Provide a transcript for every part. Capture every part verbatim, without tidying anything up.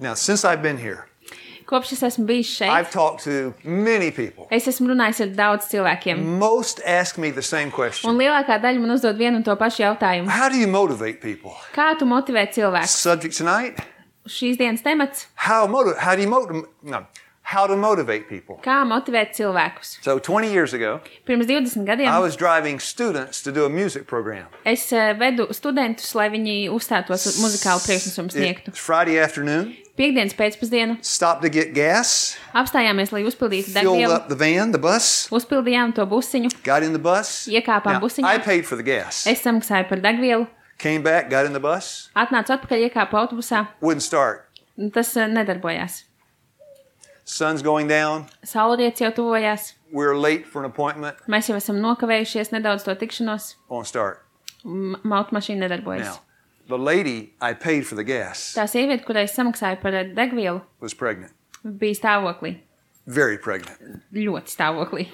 Now, since I've been here, Kopš es esmu bijis šeit, I've talked to many people. es esmu runājis ar daudz cilvēkiem. Most ask me the same Un question. lielākā daļa man uzdod vienu un to pašu jautājumu. How do you motivate people? Kā tu motivē cilvēkus? Subject tonight, Šīs dienas temats how, motiv- how do you motivate, no, how to motivate people. - kā motivēt cilvēkus. So twenty years ago, Pirms divdesmit I gadiem was driving students to do a music program. es eh, vedu studentus, lai viņi uzstātos uz muzikālu priekšnesumu sniegtu. It's Friday afternoon, Piektdienas pēcpusdienu stopped to get gas, apstājāmies, lai uzpildītu filled degvielu, up the van, the bus, uzpildījām to busiņu, got in the bus. iekāpām Now, busiņā, I paid for the gas. es samaksāju par degvielu, Came back, got in the bus, atnācu atpakaļ, iekāpu autobusā, wouldn't start. un tas eh, nedarbojās. Sun's going down. Saulrietis jau tuvojās, We're late for an appointment. mēs jau esam nokavējušies nedaudz to tikšanos, Won't start. un automašīna nedarbojas. Now, the lady I paid for the gas Tā sieviete, kurai es samaksāju par eh, degvielu, was pregnant, bija stāvoklī, very pregnant. ļoti stāvoklī.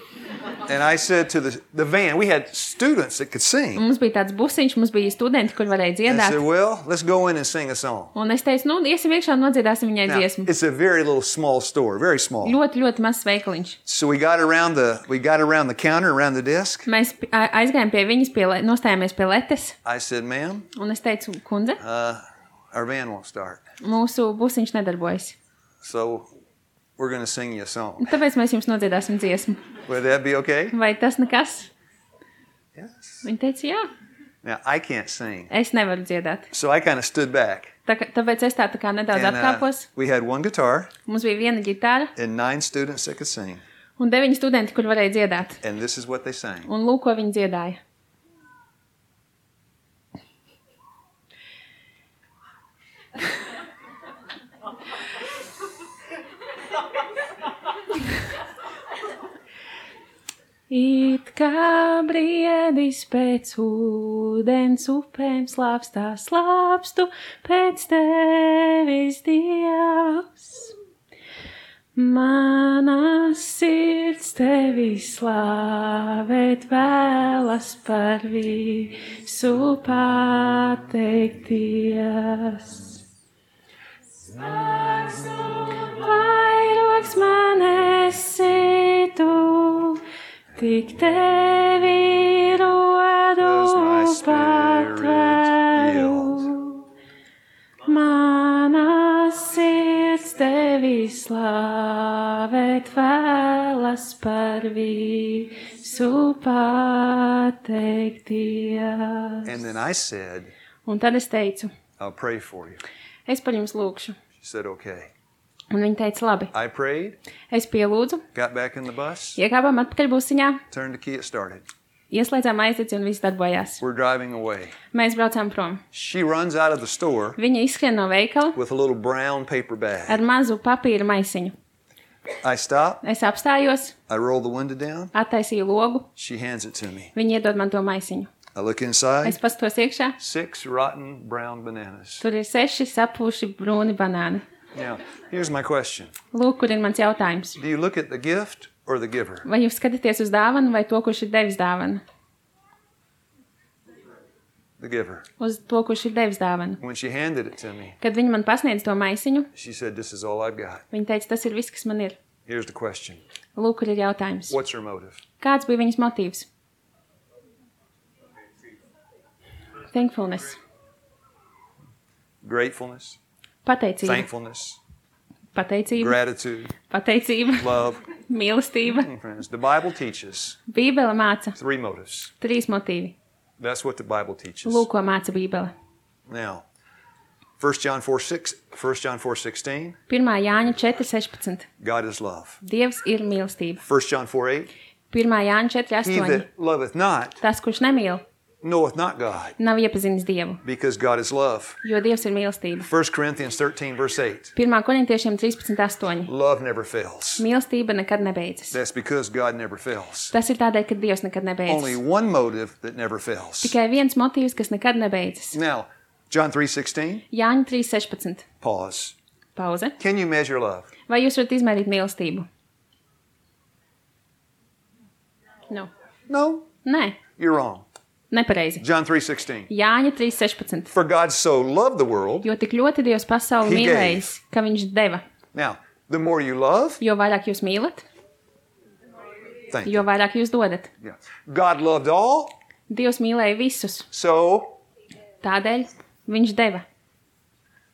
And I said to the, the van, we had students that could sing. Un mums bija tāds busiņš, mums bija studenti, kur varēja And I dziedāt. said, well, let's go in and sing a song. Un es teicu, nu, iesim iekšā un nodziedāsim viņai Now, dziesmu. it's a very little small store, very small. Ļoti, ļoti mazs veikaliņš. So we got around the we got around the counter, around the desk. Mēs pi- a- aizgājām pie viņas, pie, le- nostājāmies pie letes, I said, ma'am, un es teicu, kundze, uh, our van won't start. mūsu busiņš nedarbojas. So we're going to sing you a song. Un tāpēc mēs jums nodziedāsim dziesmu. Would that be okay? Vai tas nekas? Yes. Viņa teica, jā, Now, I can't sing. es nevaru dziedāt. So I kind of stood back. Tā, kā- tāpēc es tā, tā kā nedaudz And, uh, atkāpos. we had one guitar Mums bija viena ģitāra and nine students that could sing. un deviņi studenti, kur varēja dziedāt. And this is what they sang. Un lūk, ko viņi dziedāja. It kā briedis pēc ūdens upēm slāpstā slāpstu pēc tevis, Dievs. Mana sirds tevi slāvēt vēlas par visu pateikties. Vairogs man esi tu, tik tevi rodu Does my spirit patvēru. Mana sirds tevi slāvēt vēlas par visu pateikties. And then I said, Un tad es teicu, I'll pray for you. es par jums lūkšu. She said, okay. Un viņa teica, labi. I prayed, Es pielūdzu, got back in the bus, iekāpām atpakaļ busiņā, turned the key, it started. ieslēdzām aizieci un viss darbojās. We're driving away. Mēs braucām prom. She runs out of the store Viņa izskrien no veikala with a little brown paper bag. ar mazu papīra maisiņu. I stop, Es apstājos, I roll the window down, attaisīju logu, she hands it to me. viņa iedod man to maisiņu. I look inside, Es pastos iekšā, six rotten brown bananas. tur ir seši sapūši brūni banāni. Now, here's my question. Lūk, kur ir mans jautājums. Do you look at the gift or the giver? Vai jūs skatāties uz dāvanu vai to, kurš ir devis dāvanu? The giver. Uz to, kurš ir devis dāvanu. When she handed it to me, Kad viņa man pasniedz to maisiņu, she said, this is all I've got. viņa teica, tas ir viss, kas man ir. Here's the question. Lūk, kur ir jautājums. What's her motive? Kāds bija viņas motīvs? Thankfulness. Gratefulness, Pateicība. thankfulness, Pateicība. gratitude, Pateicība. love. Mīlestība. Friends, the Bible teaches Bībele māca three motives. trīs motīvi. That's what the Bible teaches. Lūk, ko māca Bībele. Now, First John four six, First John four sixteen, pirmā Jāņa četri sešpadsmit. God is love. Dievs ir mīlestība. First John four eight, pirmā Jāņa četri he astoņi. that loveth not Tas, kurš nemīl, knoweth not God, nav iepazinis Dievu, because God is love. jo Dievs ir mīlestība. First Corinthians thirteen verse eight, pirmā Korintiešiem trīspadsmit astoņi. love never fails. Mīlestība nekad nebeidzas. That's because God never fails. Tas ir tādēļ, ka Dievs nekad Only nebeidzas. one motive that never fails. Tikai viens motīvs, kas nekad nebeidzas. Now, John three sixteen, Jāņa trīs sešpadsmit. pause. Pauze. Can you measure love? Vai jūs varat izmērīt mīlestību? No. No, Nē, you're wrong. Nepareizi. John three sixteen. Jāņa trīs sešpadsmit. For God so loved the world. Jo tik ļoti Dievs pasauli He mīlējis, ka viņš deva. Now, the more you love, Jo vairāk jūs mīlat, thank you. jo vairāk jūs dodat. Yeah. God loved all, Dievs mīlēja visus, so tādēļ viņš deva.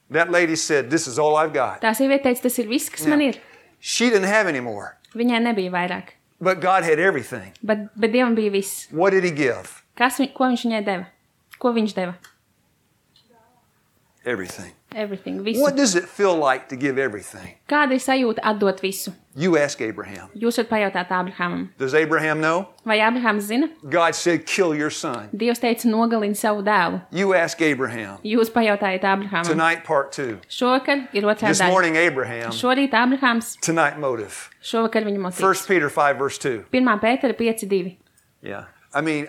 that lady said, this is all I've got. Tā sieviete teica, tas ir viss, kas man ir. She didn't have any more, Viņai nebija vairāk, but God had everything. bet, bet Dievam bija viss. What did he give? Kas, viņ- ko viņš viņai deva? Ko viņš deva? Everything. Everything, visu. What does it feel like to give everything? Kāda ir sajūta atdot visu? You ask Abraham. Jūs varat pajautāt Ābrahamam. Does Abraham know? Vai Ābrahams zina? God said, kill your son. Dievs teica, nogalini savu dēlu. You ask Abraham. Jūs pajautājat Ābrahamam. Tonight, part two. Šovakar ir otrā This daļa. morning, Abraham. Šorīt Ābrahams, Tonight, motive. šovakar viņa motīvs. First Peter five, verse two. Pirmā Pētera pieci divi. Yeah. I mean,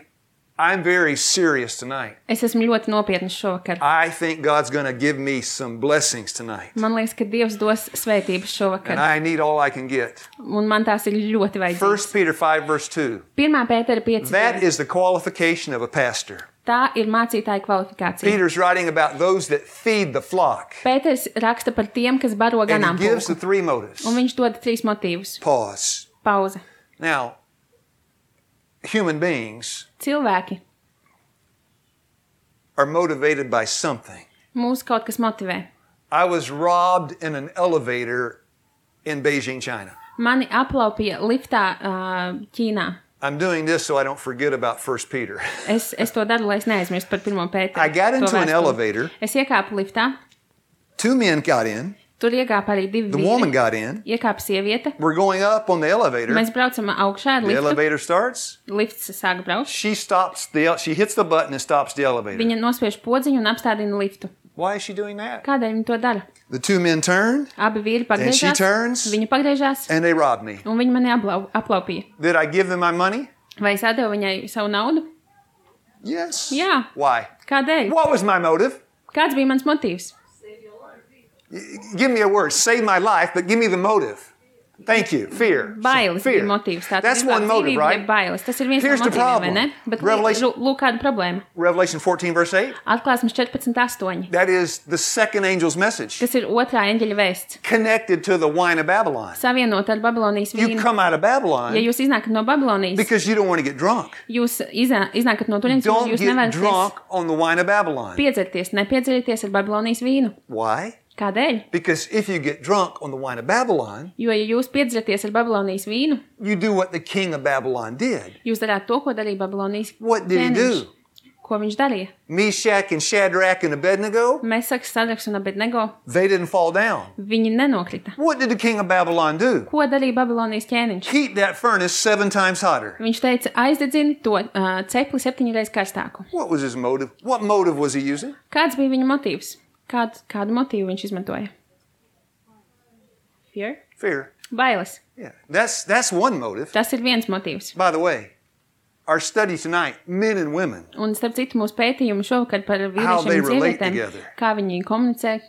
I'm very serious tonight. Es esmu ļoti nopietns šovakar. I think God's going to give me some blessings tonight. Man liekas, ka Dievs dos svētības And šovakar. I need all I can get. Un man tās ir ļoti vajadzīgas. First Peter five, verse two. Pirmā Pētera pieci That divi. is the qualification of a pastor. Tā ir mācītāja kvalifikācija. Peter's writing about those that feed the flock. Pēters raksta par tiem, kas baro And he gives the ganāmpulku. three motives. Un viņš dod trīs motīvus. Pause. Pauze. Now, human beings Cilvēki. are motivated by something. Mūs kaut kas motivē. I was robbed in an elevator in Beijing, China. Mani aplaupīja liftā uh, Ķīnā. I'm doing this so I don't forget about First Peter. Es, es to daru, lai es neaizmirstu par pirmo Pēteru. I got to into an vēstuli. elevator. Es iekāpu liftā. Two men got in. Tur iekāpa arī divi The woman vīri. got in. Iekāpa sieviete. We're going up on the elevator. Mēs braucam augšā ar The liftu. elevator starts. Lifts sāk braukt. She stops the. She hits the button and stops the elevator. Viņa nospiež podziņu un apstādina liftu. Why is she doing that? Kādēļ viņa to dara? The two men turn Abi vīri And she pagriežās. turns. Viņa pagriežās and they robbed me. un viņa mani aplau, aplaupīja. Did I give them my money? Vai es atdevu viņai savu naudu? Yes. Jā. Why? Kādēļ? What was my motive? Kāds bija mans motīvs? Give me a word. Save my life, but give me the motive. Thank you. Fear. Bailes Fear. bija motīvs. Tātad That's vispār one motive, dzīvība right? ir Bailes. Tas ir viens Here's no the motīviem, vai problem. ne? Bet Revelation- lūk, lūk kāda problēma. Revelation fourteen, verse eight. Atklāsmes četrpadsmit astoņi. That is the second angel's message. Tas ir otrā eņģeļa vēsts. Connected to the wine of Babylon. Savienot ar Babilonijas You vīnu. come out of Babylon Ja jūs iznākat no Babilonijas, because you don't want to get drunk. jūs iznā, iznākat no turienes, Don't jūs get nevarat drunk on the wine of Babylon. piedzerties, nepiedzerieties ar Babilonijas vīnu. Why? Kādēļ? Because if you get drunk on the wine of Babylon, Jo, ja jūs piedzeraties ar Babilonijas vīnu, you do what the king of Babylon did. jūs darāt to, ko darīja Babilonijas What did he ķēniņš. do? Ko viņš darīja? Meshach and Shadrach and Abednego, Mesaks, Sadraks un Abednego, they didn't fall down. viņi nenokrita. What did the king of Babylon do? Ko darīja Babilonijas ķēniņš? Heat that furnace seven times hotter. Viņš teica, aizdedzini to uh, cepli septiņreiz karstāku. What was his motive? What motive was he using? Kāds bija viņa motīvs? Kād, kādu motīvu viņš izmantoja? Fear? Fear. Bailes. Yeah, that's that's one motive. Tas ir viens motīvs. By the way, our study tonight, men and women, Un starp citu mūsu pētījumu šovakar par How vīriešiem they un relate sievietēm, together. kā viņi komunicē,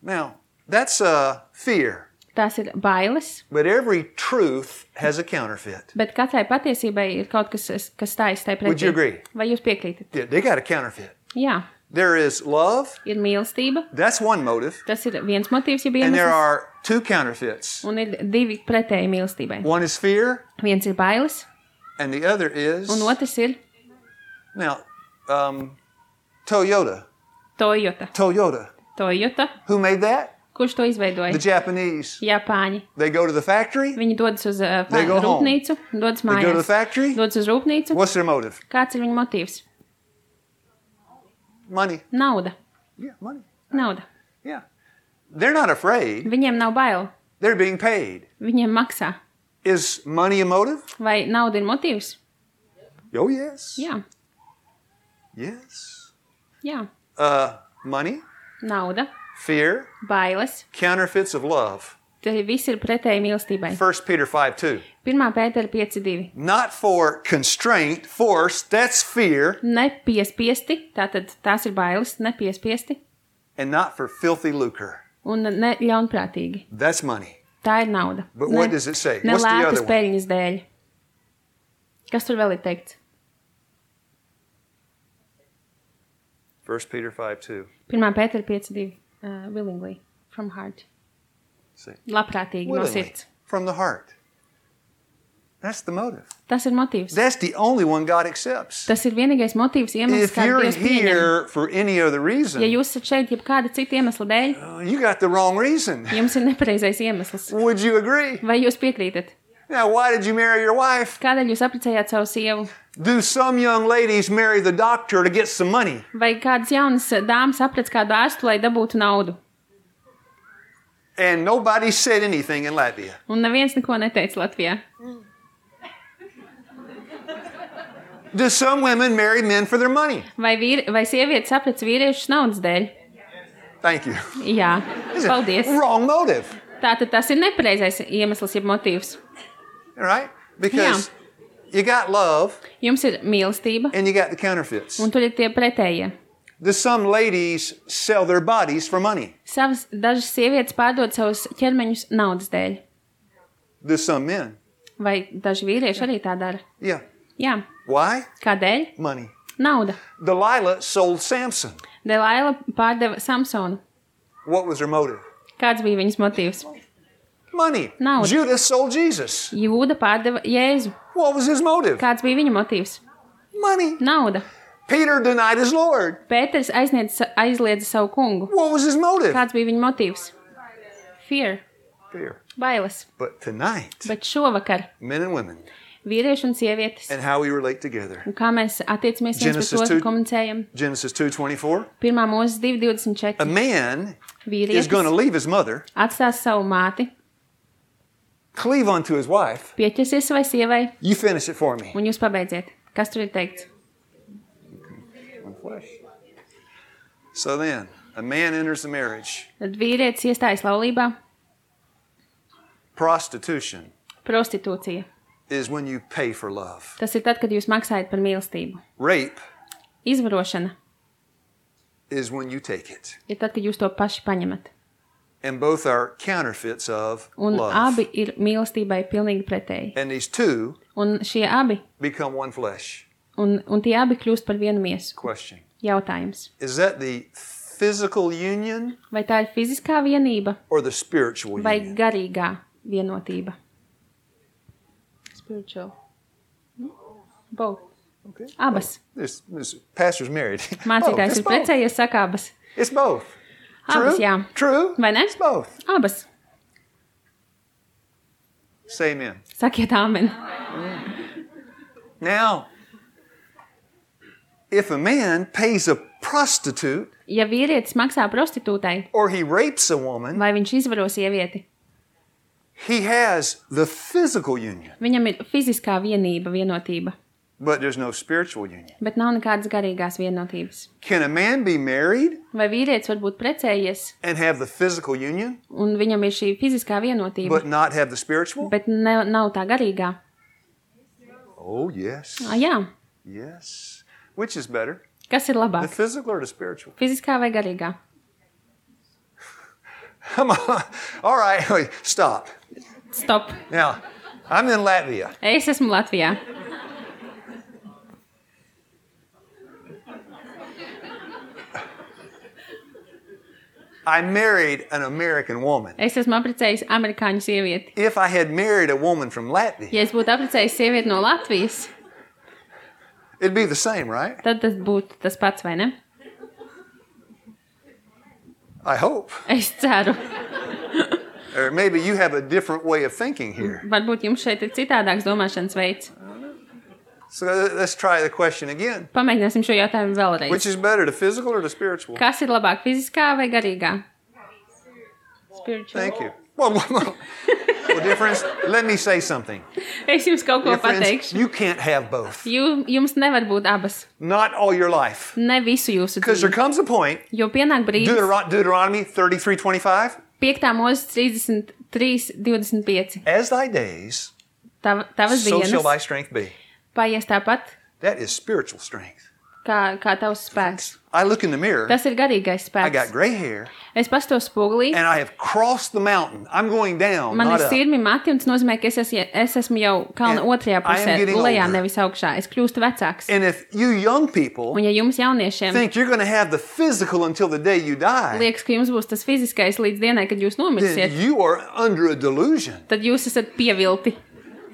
now that's uh, fear. tās ir bailes, But every truth has a counterfeit. bet katrai patiesībai ir kaut kas, kas stājas tai Would you pretī. agree? Vai jūs piekrītat? Yeah, they got a counterfeit. Jā, There is love. ir mīlestība, That's one motive. tas ir viens motīvs, ja And there iemesls, are two counterfeits. un ir divi pretēji mīlestībai. One is fear, Viens ir bailes, and the other is un otrs ir now um, Toyota. Toyota. Toyota. Toyota, Who made that? kurš to izveidoja? The Japanese. Japāņi. They go to the factory. Viņi dodas uz uh, They go home. rūpnīcu, dodas They go to the mājās. factory. Dodas uz rūpnīcu. What's their motive? Kāds ir viņa motīvs? Money. Nauda. Yeah, money. Nauda. Yeah. They're not afraid. Viņiem nav bail. They're being paid. Viņiem maksā. Is money a motive? Vai nauda ir motīvs? Oh, yes. Jā. Yes. Jā. Uh, money, Nauda, fear, bailes. counterfeits of love. Tie visi ir pretēji mīlestībai. First Peter five two. Pirmā Pētera pieci divi. Not for constraint, force, that's fear, Nepiespiesti, tātad tās ir bailes, nepiespiesti and not for filthy lucre. un ne ļaunprātīgi. That's money. Tā ir nauda. But ne, what does it say? Ne What's the lētas other one? peļņas dēļ. Kas tur vēl ir teikts? First Peter five two. pirmā Pētera pieci divi. Uh, willingly, from heart. See. Labprātīgi no Willingly, sirds. from the heart. That's the motive. Tas ir motīvs. That's the only one God accepts. Tas ir vienīgais motīvs, iemesls, If kādu you're Dievs pieņem. here for any other reason, Ja jūs esat šeit, jeb kāda cita iemesla dēļ, uh, you got the wrong reason. jums ir nepareizais iemesls. Would you agree? Vai jūs piekrītat? Now, why did you marry your wife? Kādēļ jūs apprecējāt savu sievu? Do some young ladies marry the doctor to get some money? Vai kādas jaunas dāmas aprec kādu ārstu, lai dabūtu naudu? And nobody said anything in Latvia. Un neviens neko neteica Latvijā. Do some women marry men for their money? Vai, vīri, vai sievietes aprec vīriešus naudas dēļ? Thank you. Jā, paldies. Wrong motive, Tātad tas ir nepareizais iemesls, jeb motīvs. right? Because you got love Jums ir mīlestība, and you got the counterfeits. un tur ir tie pretējie. Do some ladies sell their bodies for money? Savas, dažas sievietes pārdod savus ķermeņus naudas dēļ. Do some men? Vai daži vīrieši arī tā dara? Yeah. Jā. Why? Kādēļ? Money. Nauda. Delilah sold Samson. Delaila pārdeva Samsonu. What was her motive? Kāds bija viņas motīvs? Money. Nauda. Judas sold Jesus. Jūda pārdeva Jēzu. What was his motive? Kāds bija viņa motīvs? Money. Nauda. Peter denied his Lord. Pēters aizniedz, aizliedza savu kungu. What was his motive? Kāds bija viņa motīvs? Fear. Fear. Bailes. But tonight, Bet šovakar men and women, vīrieši un sievietes. and how we relate together. Un kā mēs attiecamies viens Genesis pret otru, two- komunicējam. Genesis two twenty-four. Pirmā mūzes divi divdesmit A četri. man is Vīrietis going to leave his mother, atstās savu māti, cleave unto his wife. pieķersies savai sievai, You finish it for me. un jūs pabeidziet. Kas tur ir teikts? One flesh. So then, a man enters the marriage. Tad vīrietis iestājas laulībā. Prostitution Prostitūcija. is when you pay for love. Tas ir tad, kad jūs maksājat par mīlestību. Rape Izvarošana is when you take it. ir tad, kad jūs to paši paņemat. And both are counterfeits of Un love. abi ir mīlestībai pilnīgi pretēji. And these two Un šie abi, become one flesh. un, un tie abi kļūst par vienu miesu. Question. Jautājums. Is that the physical union Vai tā ir fiziskā vienība or the spiritual vai union? garīgā vienotība? Spiritual. Both. Okay. Abas. This, this pastor's married. Both. Mācītājs It's ir both. precējies, saka abas. It's both. Abas, True? jā. True? Vai ne? It's both. Abas. Say amen. Sakiet āmen. Now, if a man pays a prostitute Ja vīrietis maksā prostitūtai, or he rapes a woman, vai viņš izvaro sievieti, he has the physical union, viņam ir fiziskā vienība, vienotība, but there's no spiritual union. bet nav nekādas garīgās vienotības. Can a man be married Vai vīrietis var būt precējies, and have the physical union, un viņam ir šī fiziskā vienotība, but not have the spiritual? bet ne, nav tā garīgā? Oh, yes. Ah, jā. Yes. Which is better, Kas ir the labāk? physical or the spiritual? Fiziskā vai garīgā? Come on. All right, wait, stop. Stop. Now, I'm in Latvia. Es esmu Latvijā. I married an American woman. Es esmu apprecējis amerikāņu sievieti. If I had married a woman from Latvia, Ja es būtu apprecējis sievieti no Latvijas, it'd be the same, right? tad tas būtu tas pats, vai ne? I hope. Es ceru. Or maybe you have a different way of thinking here. Varbūt jums šeit ir citādāks domāšanas veids. So let's try the question again. Pamēģināsim šo jautājumu Which vēlreiz. is better, the physical or the spiritual? Kas ir labāk, fiziskā vai garīgā? Spiritual. Thank you. Well, well, well, well, difference. Let me say something. Es jums kaut ko Dear friends, pateikšu. you can't have both. Jū, jums nevar būt abas. Not all your life. Ne visu jūsu Because there dzīvi. comes a point, Jo pienāk brīdis, Deuteron- Deuteronomy thirty-three twenty-five, piektā mūzes trīsdesmit trīs divdesmit pieci. as thy days, Tav, tavas so shall dienas thy strength be. paies tāpat, That is spiritual strength. kā, kā tavs spēks. I look in the mirror. Tas ir garīgais I got spēks. gray hair, Es pastos spogulī, and I have crossed the mountain. I'm going down, man not ir up. sirmi mati, un tas nozīmē, ka es, es, es esmu jau kalna And otrajā I am pusē, getting lejā, older. nevis augšā. Es kļūstu vecāks. And if you young people Un ja jums jauniešiem think you're going to have the physical until the day you die, liekas, ka jums būs tas fiziskais līdz dienai, kad jūs then nomirsiet, you are under a delusion. tad jūs esat pievilti.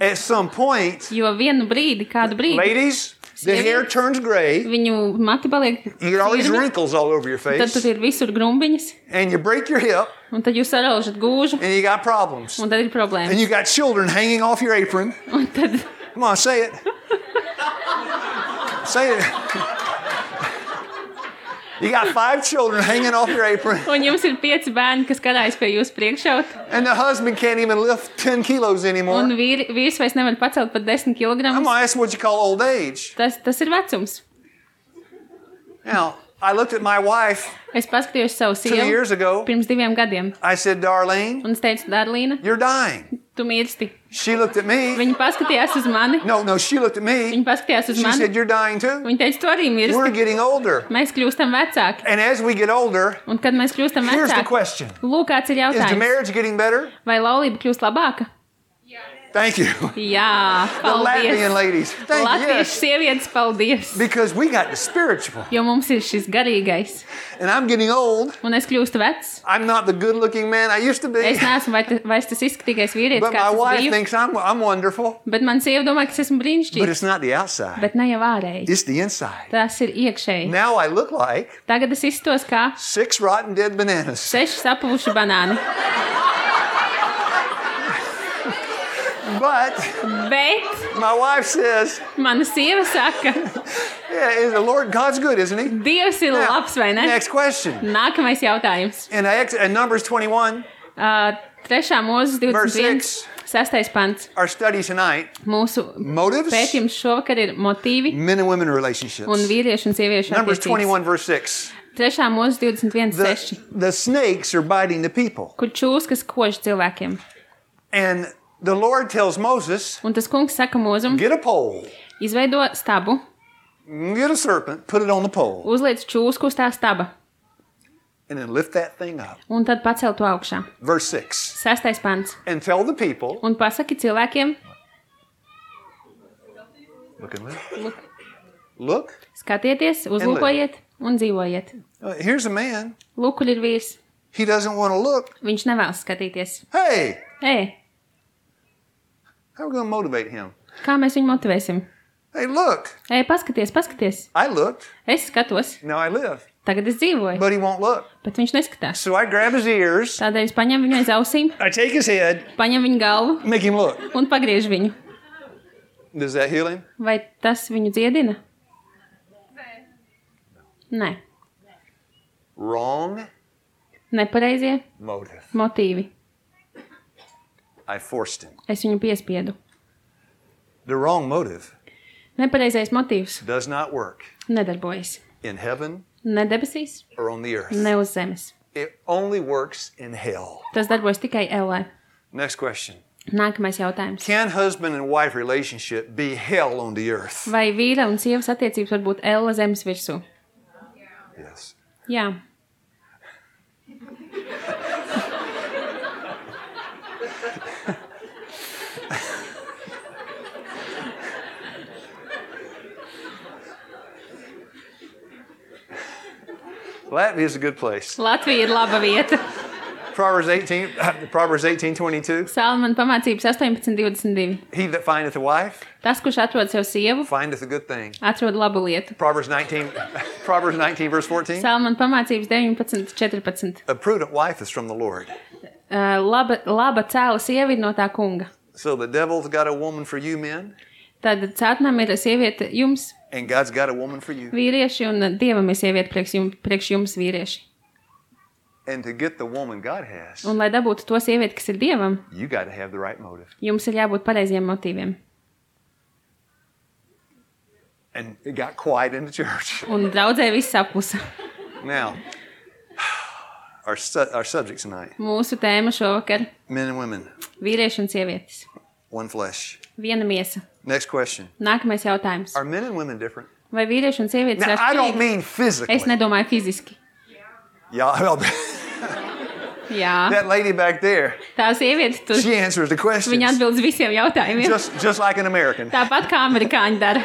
At some point, Jo vienu brīdi, kādu brīdi, ladies, the hair turns gray. viņu mati paliek You get all these sirmi, wrinkles all over your tad face, tur ir visur grumbiņas, and you break your hip, un tad jūs saraužat gūžu, and you got problems. un tad ir And problēmas. you got children hanging off your apron. Un tad Come on, say it. Say it. You got five children hanging off your apron, un jums ir pieci bērni, kas karājas pie jūsu priekšauta, and the husband can't even lift ten kilos anymore. un vīri, vīrs vairs nevar pacelt pat desmit I'm kilogramus. going to ask what you call old age. Tas, tas ir vecums. Now, I looked at my wife Es paskatījos savu two sievu years ago. pirms diviem gadiem, I said, Darlene, un es teicu, Darlīna, you're dying. tu mirsti. She looked at me. Viņa paskatījās uz mani, No, no, she looked at me. viņa paskatījās uz She mani, said, you're dying too. viņa teica, tu arī We're mirsti. getting older. Mēs kļūstam vecāki, And as we get older, un kad mēs kļūstam here's the vecāki, question. lūk, kāds ir Is the jautājums. marriage getting better? Vai laulība kļūst labāka? Thank you. Jā, The Latvian paldies. ladies. Thank you. Latviešu Yes. sievietes, paldies. Because we got the spiritual. Jo mums ir šis garīgais, And I'm getting old. un es kļūstu vecs. I'm not the good looking man I used to be. Es neesmu vai te- vairs tas izskatīgais vīrietis, But my kāds es wife biju. thinks I'm, I'm wonderful. Bet man sieva domā, ka es esmu But brīnišķīgs. it's not the outside. Bet ne jau ārēji. It's the inside. Tas ir iekšēji. Now I look like Tagad es izstos kā six rotten dead bananas. seši sapuvuši banāni. But Bet my wife says, mana sieva saka, yeah, is the Lord God's good, isn't he? Dievs ir Now, labs, vai ne? next question. Nākamais jautājums. In, Ex- in Numbers twenty-one, Uh, trešā mūzes Verse divdesmit viens. six. Sestais pants. our study tonight, Mūsu motives, pētījums šovakar ir motīvi men and women relationships. un vīriešu un sieviešu Numbers attiecības. twenty-one, verse six. Trešā mūzes divdesmit viens seši. The, the snakes are biting the people. Kur čūskas kož cilvēkiem. And the Lord tells Moses, Un tas kungs saka mūzum, get a pole, izveido stabu, get a serpent, put it on the pole, uzliec čūsku uz tā staba and then lift that thing up. un tad pacel to augšā. Verse six. Sestais pants. And tell the people, Un pasaki cilvēkiem, look and live. Look. Look, skatieties, uzlūkojiet un dzīvojiet. uh, here's a man. Lūk, kur ir vīrs. He doesn't want to look. Viņš nevēlas skatīties. Hey, Ei, how are we going to motivate him? kā mēs viņu motivēsim? Hey, look, Ei, paskaties, paskaties. I looked. Es skatos, Now I live. tagad es dzīvoju, But he won't look. bet viņš neskatās. So I grab his ears, Tādēļ es paņemu viņu aiz ausīm, I take his head, paņemu viņu galvu make him look. un pagriežu viņu. Does that heal him? Vai tas viņu dziedina? Nē. Wrong Nepareizie motive. motīvi. I forced him. Es viņu piespiedu. The wrong motive Nepareizais motīvs does not work nedarbojas. in heaven Ne debesīs, or on the earth. ne uz zemes. It only works in hell. Tas darbojas tikai ellē. Next question. Nākamais jautājums. Can husband and wife relationship be hell on the earth? Vai vīra un sievas attiecības var būt elle zemes virsū? Yes. Jā. Latvia is a good place. Latvija ir laba vieta. Proverbs eighteen, Proverbs eighteen twenty-two. Salmana pamācības astoņpadsmit divdesmit divi. He that findeth a wife Tas, kurš atrod sev sievu, findeth a good thing. atrod labu lietu. Proverbs nineteen, Proverbs nineteen verse fourteen. Salmana pamācības deviņpadsmit četrpadsmit. A prudent wife is from the Lord. Uh, laba, laba cēla sieva ir no tā kunga. So the devil's got a woman for you men, Tad cētnām ir sieviete jums, and God's got a woman for you. vīrieši, un dievam ir sieviete priekš jums, priekš jums vīrieši. And to get the woman God has, Un, lai dabūtu to sievieti, kas ir dievam, you got to have the right motive. jums ir jābūt pareiziem motīviem. And it got quiet in the church. Un draudzē viss aplusa. Now, our, su- our subject tonight, Mūsu tēma šovakar men and women, - vīrieši un sievietes. one flesh. Viena miesa. Next question. Nākamais jautājums. Are men and women different? Vai vīrieši un sievietes ir Now, I don't atšķirīgi? mean physically. Es nedomāju fiziski. Yeah, well, Jā. that lady back there, Tā sieviete tur, she answers the questions. viņa atbild uz visiem jautājumiem. Just, just like an American. Tāpat kā amerikāņi dara.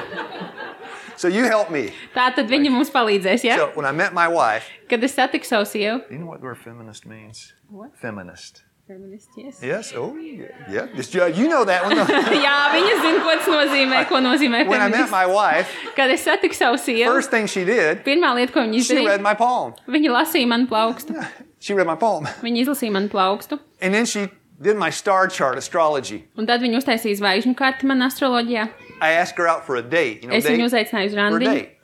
So you help me. Tā tad viņa mums palīdzēs, ja? So when I met my wife, Kad es satiku savu sievu. you know what the word feminist means? What? Feminist. Feminist, yes. Yes. Oh, yeah. yeah. Just, you know that one. Though. Jā, viņa zina, ko tas nozīmē, ko nozīmē When I met feminist. my wife, Kad es satiku savu sievu, first thing she did, pirmā lieta, ko viņa she read izdarīja, my palm. viņa lasīja manu plaukstu. She read my palm. Viņa izlasīja manu plaukstu. And then she did my star chart, astrology. Un tad viņa uztaisīja zvaigžņu karti man astroloģijā. I asked her out for a date. You know, Es viņu date? uzaicināju uz For a randiņu. date.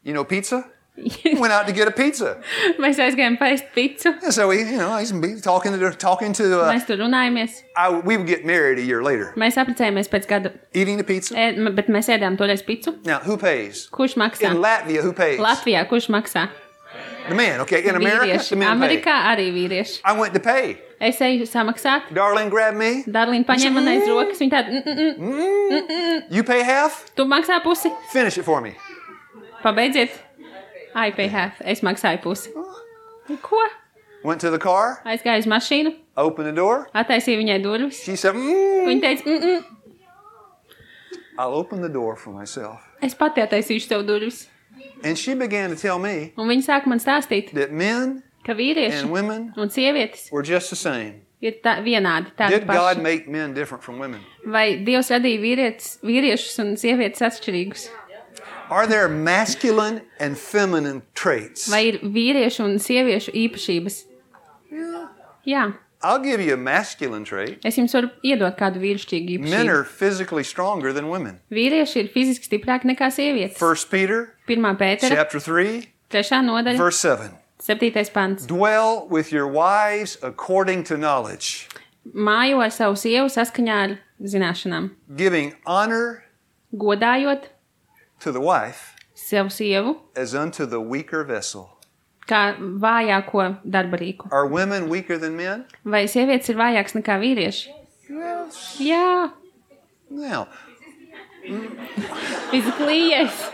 You know pizza? Went out to get a pizza. Mēs aizgājām paist picu. And so we, you know, I used to be talking to, talking to uh, Mēs tur runājamies. I, we would get married a year later. Mēs apprecējāmies pēc gada, Eating the pizza. ē, m- bet mēs ēdām toreiz picu. Now, who pays? Kurš maksā? In Latvia, who pays? Latvijā kurš maksā? The man, okay. In America, Vīrieši. the men pay. Amerikā arī vīrieši. I went to pay. Es eju samaksāt. Darlene grabbed me. Darlīna paņēma man aiz rokas. Viņa tāda, mm, mm, mm. You pay half? Tu maksā pusi? Finish it for me. Pabeidziet. I pay half. Es maksāju pusi. Ko? Went to the car, Aizgāju uz mašīnu. opened the door. Attaisīju viņai durvis. She said, mm, Viņa teica, mm, mm. I'll open the door for myself. Es pati attaisīšu tev durvis. And she began to tell me Un viņa sāka man stāstīt, that men ka vīrieši and women un sievietes were just the same. ir tā, vienādi. Tādi Did God paši. make men different from women? Vai Dievs radīja vīrietis, vīriešus un sievietes atšķirīgus? Are there masculine and feminine traits? Vai ir vīriešu un sieviešu īpašības? Yeah. Jā. I'll give you a masculine trait. Es jums varu iedot kādu vīrišķīgu Men īpašību. are physically stronger than women. Vīrieši ir fiziski stiprāki nekā sievietes. First Peter Pirmā Pētera, chapter three, trešā nodaļa, verse seven. septītais pants. Dwell with your wives according to knowledge, Mājo ar savu sievu saskaņā ar zināšanām. giving honor Godājot to the wife savu sievu as unto the weaker vessel. kā vājāko darbarīku. Are women weaker than men? Vai sievietes ir vājākas nekā vīrieši? Yes. Jā, Now, physically, yes.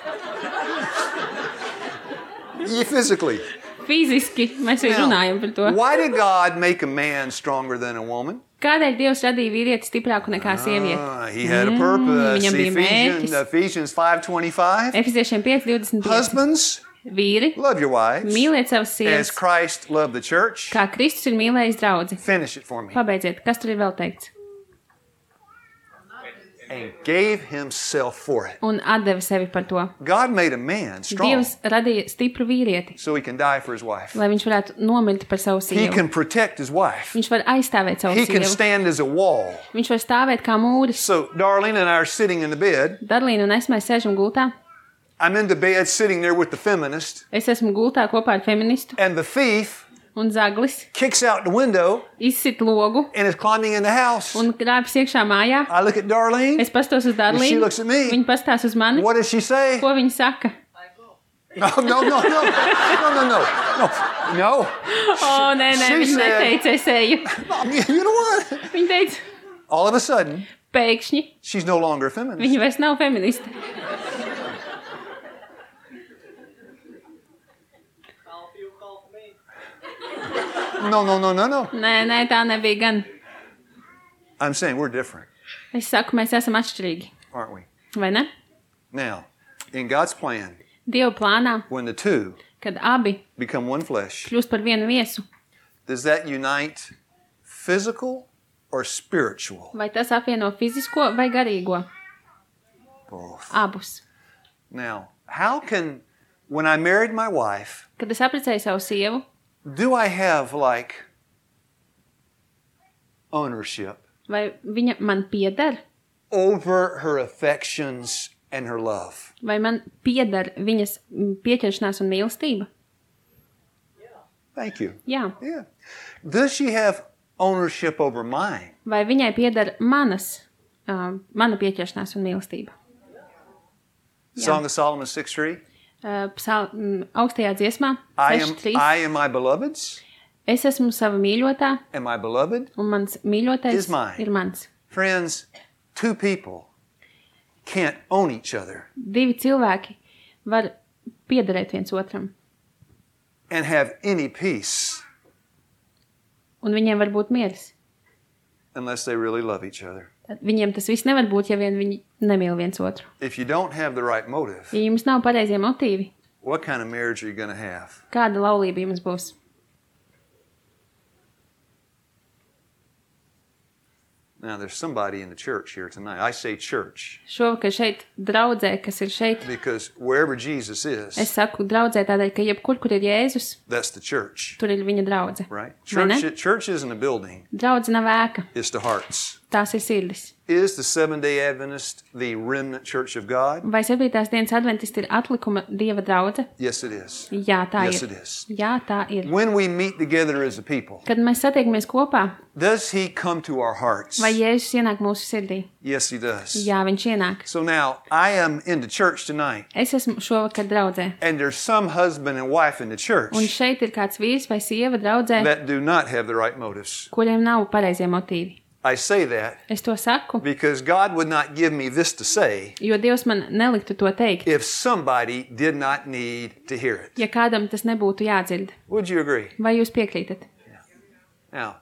yeah, physically. Fiziski mēs jau Now, runājam par to. why did God make a man stronger than a woman? Kādēļ Dievs radīja vīrieti stiprāku nekā sievieti? Ah, he had a purpose. viņam bija Ephesians, mērķis. Ephesians five twenty-five. Efeziešiem pieci divdesmit pieci. Husbands, Vīri, love your wives mīliet savas as sievas, Christ loved the church. kā Kristus ir mīlējis draudzi. Finish it for me. Pabeidziet, kas tur ir vēl teikts? And gave himself for it. Un atdeva sevi par to. God made a man strong Dievs radīja stipru vīrieti, so he can die for his wife. lai viņš varētu nomirt par savu He sievu. can protect his wife. Viņš var aizstāvēt savu He can sievu. stand as a wall. Viņš var stāvēt kā mūris. So Darlene and I are sitting in the bed. Darlīna un es mēs sēžam gultā. I'm in the bed sitting there with the feminist. Es esmu gultā kopā ar feministu. And the thief Un zaglis kicks out the window izsit logu and is climbing in the house. un krāpjas iekšā mājā. I look at Darlene. Es pastos uz She Darlīnu. looks at me. Viņa pastās uz mani. What does she say? Ko viņa saka? No, no, no, no, no, no, no, no, no. O, nē, nē, She viņa said- neteica, es eju. You know what? Viņa teica, All of a sudden, pēkšņi she's no longer a feminist. viņa vairs nav feministe. No, no, no, no, no. Nē, nē, tā nebija gan. I'm saying we're different, Es saku, mēs esam atšķirīgi. aren't we? Vai ne? Now, in God's plan, Dieva plānā, when the two kad abi become one flesh, kļūst par vienu viesu, does that unite physical or spiritual? vai tas apvieno fizisko vai garīgo? Both. Abus. Now, how can, when I married my wife, Kad es apprecēju savu sievu, do I have like ownership vai viņa man pieder, over her affections and her love? vai man pieder viņas mm, pieķeršanās un mīlestība? Thank you. Jā. Yeah. Does she have ownership over mine? Vai viņai pieder manas, uh, mana pieķeršanās un mīlestība? Jā. Song of Solomon six three. Uh, psal, mm, augstajā dziesmā, I seši am, trīs. I am my beloved's, Es esmu sava mīļotā, and my beloved. un mans mīļotais Is mine. ir mans. Friends, two people can't own each other. Divi cilvēki var piederēt viens otram. and have any peace Un viņiem var būt miers. unless they really love each other. Tad viņiem tas viss nevar būt, ja vien viņi nemīl viens otru. If you don't have the right motive, Ja jums nav pareizie motīvi, what kind of marriage are you going to have? kāda laulība jums būs? Now, there's somebody in the church here tonight. I say church Šovakar šeit draudzē, kas ir šeit, because wherever Jesus is, es saku draudzē tādēļ, ka jebkur, kur ir Jēzus, that's the church, tur ir viņa draudze. right? Vai ne? Church, church isn't a building, Draudze nav ēka, it's the hearts. tās ir sirdis. Is the Seventh-day Adventist the remnant church of God? Vai septītās dienas adventisti ir atlikuma Dieva draudze? Yes, it is. Jā, tā Yes, ir. it is. Jā, tā ir. When we meet together as a people, Kad mēs satiekamies kopā, does he come to our hearts? vai Jēzus ienāk mūsu sirdī? Yes, he does. Jā, viņš ienāk. So now, I am in the church tonight, Es esmu šovakar draudzē. and there's some husband and wife in the church Un šeit ir kāds vīrs vai sieva draudzē, that do not have the right motives. kuriem nav pareizie motīvi. I say that Es to saku, because God would not give me this to say jo Dievs man neliktu to teikt, if somebody did not need to hear it. ja kādam tas nebūtu jādzird. Would you agree? Vai jūs piekrītat? Now,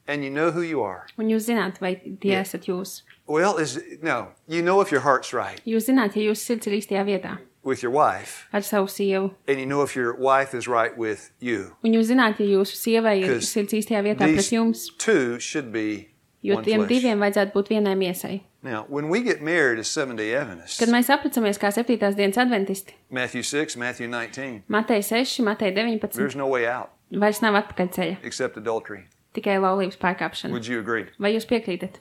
and you know who you are. Un jūs zināt, vai tie esat jūs. Well, is no, you know if your heart's right Jūs zināt, ja jūsu sirds ir īstajā vietā with your wife, ar savu sievu. and you know if your wife is right with you. Un jūs zināt, ja jūsu sievai ir 'Cause sirds īstajā vietā pret These jums, two should be jo one tiem flesh. diviem vajadzētu būt vienai miesai. Now, when we get married as Seventh-day Adventists, Kad mēs aplicamies kā septītās dienas adventisti, Matthew six, Matthew nineteen, Matei seši, Matei deviņpadsmit, there's no way out vairs nav atpakaļceļa, except adultery. tikai laulības pārkāpšana. Would you agree? Vai jūs piekrītat?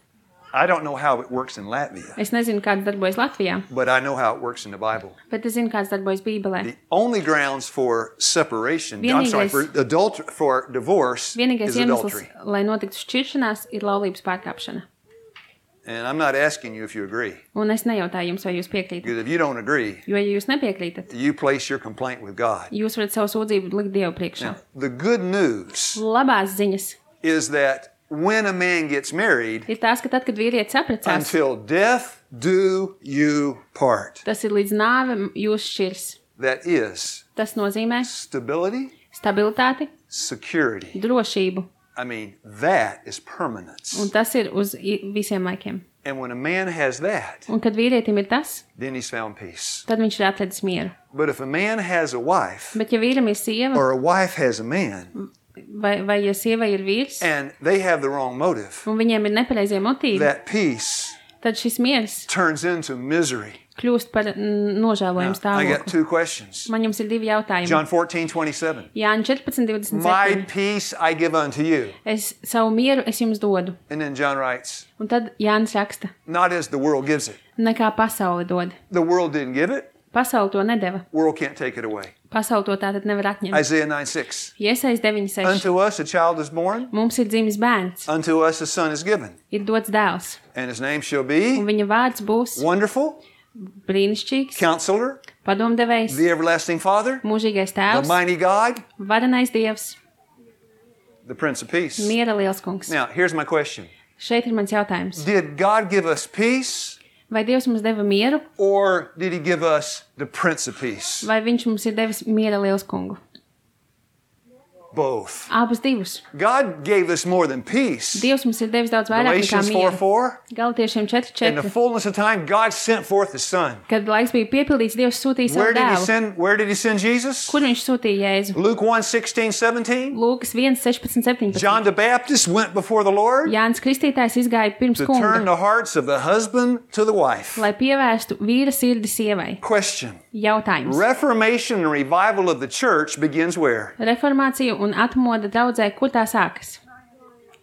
I don't know how it works in Latvia, Es nezinu, kāds darbojas Latvijā, but I know how it works in the Bible. bet es zinu, kāds darbojas Bībelē. The only grounds for separation, I'm Vienīgais- sorry, for adultery, for divorce Vienīgais is iemesls, adultery. lai notiktu šķiršanās, ir laulības pārkāpšana. And I'm not asking you if you agree, Un es nejautāju jums, vai jūs piekrītat. because if you don't agree, Jo, ja jūs nepiekrītat, you place your complaint with God. jūs varat savu sūdzību likt Dievu priekšā. Now, the good news Labās ziņas is that when a man gets married, ir tās, ka tad, kad vīrietis apprecās, until death do you part. tas ir līdz nāve jūs šķirs. That is Tas nozīmē stability, stabilitāti, security. drošību, I mean, that is permanence. un tas ir uz i- visiem laikiem. And when a man has that, Un kad vīrietim ir tas, then he's found peace. tad viņš ir atradis mieru. But if a man has a wife, Bet ja vīram ir sieva, or a wife has a man, vai, vai ja sievai ir vīrs, and they have the wrong motive, un viņiem ir nepareizie motīvi, that peace tad šis miers turns into misery. kļūst par mm, nožēlojumu Now, I got stāvokli. two questions. Man jums ir divi jautājumi. John fourteen twenty-seven. Jāņa četrpadsmit divdesmit My septiņi. peace I give unto you. Es savu mieru es jums dodu. And then John writes, Un tad Jānis raksta, not as the world gives it. nekā pasauli dod. The world didn't give it. Pasauli to nedeva. World can't take it away. Pasauli to tātad nevar atņemt. Isaiah nine six. Iesais deviņi seši. Unto us a child is born, Mums ir dzimis bērns, unto us a son is given, ir dots dēls, and his name shall un be viņa vārds būs Wonderful, brīnišķīgs, Counselor, padomdevējs, the Everlasting Father, mūžīgais the tēvs, Mighty God, varenais dievs, the Prince of Peace. miera liels kungs. Now, here's my question. Šeit ir mans jautājums. Did God give us peace, Vai Dievs mums deva mieru, or did he give us the Prince of Peace? vai viņš mums ir devis miera liels kungu? Both. Abus divus. God gave us more than peace. Dievs mums ir devis daudz vairāk nekā Galatians four mieru. four. Galatiešiem četri In the četri. fullness of time, God sent forth His Son. Kad laiks bija piepildīts, Dievs sūtīja Where savu did He dēlu. send? Where did He send Jesus? Kur viņš sūtīja Jēzu? Luke one sixteen seventeen. Lūkas viens sešpadsmit septiņpadsmit. John the Baptist went before the Lord Jānis Kristītājs izgāja pirms to turn kunga, the hearts of the husband to the wife. lai pievērstu vīra sirdi sievai. Question. Jautājums. Reformation and revival of the church begins where? Reformācija un atmoda draudzē, kur tā sākas?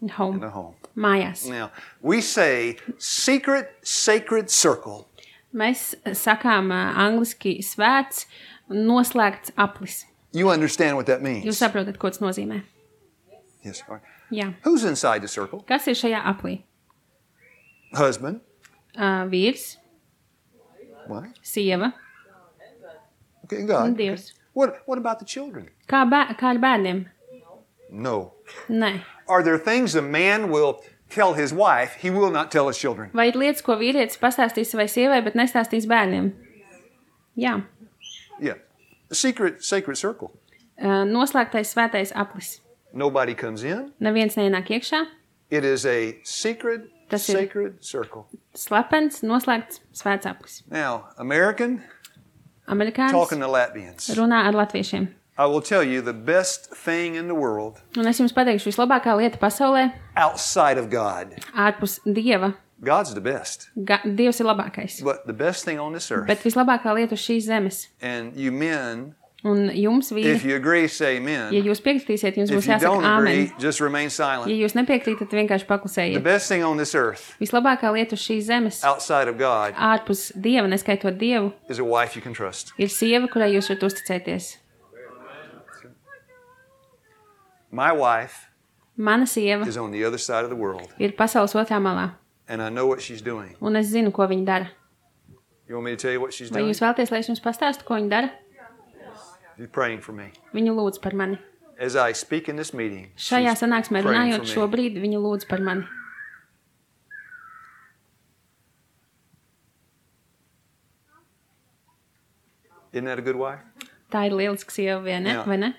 In Home. the home. Mājās. Now, we say secret, sacred circle. Mēs sakām ā, angliski svēts, noslēgts aplis. You understand what that Jūs means? saprotat, ko tas nozīmē? Yes. All right. Jā. Who's inside the circle? Kas ir šajā aplī? Husband. Uh, vīrs, Wife. sieva Okay, un God. Dievs. What, what about the children? Kā, bē kā ar bērniem? No. Nē. Are there things a man will tell his wife he will not tell his children? Vai ir lietas, ko vīrietis pastāstīs savai sievai, bet nestāstīs bērniem? Jā. The secret, sacred circle. Uh, noslēgtais svētais aplis. Nobody comes in. Neviens neienāk iekšā. It is a secret, Tas ir sacred circle. Slepens, noslēgts svēts aplis. Now, American, Amerikānis talking to Latvians. runā ar latviešiem. I will tell you the best thing in the world Un es jums pateikšu, vislabākā lieta pasaulē outside of God. ārpus Dieva. God's the best. Ga Dievs ir labākais. But the best thing on this earth. Bet vislabākā lieta uz šīs zemes. And you men, Un jums, vīri, if you agree, say amen. ja jūs piekritīsiet, jums If būs you jāsaka don't āmen. agree, just remain silent. Ja jūs nepiekrītat, vienkārši The paklusējiet. best thing on this earth Vislabākā lieta uz šīs zemes, outside of God ārpus Dieva, neskaitot Dievu, is a wife you can trust. ir sieva, kurai jūs varat uzticēties. My wife Mana sieva is on the other side of the world, ir pasaules otrā malā, and I know what she's doing. un es zinu, ko viņa dara. You want me to tell you what she's Vai doing? jūs vēlaties, lai es jums pastāstu, ko viņa dara? She's praying for me. Viņa lūdz par mani. As I speak in this meeting, Šajā she's sanāksmē praying runājot for me. šobrīd, viņa lūdz par mani. Isn't that a good wife? Tā ir lieliska sieva, vai ne? Jā. Vai ne?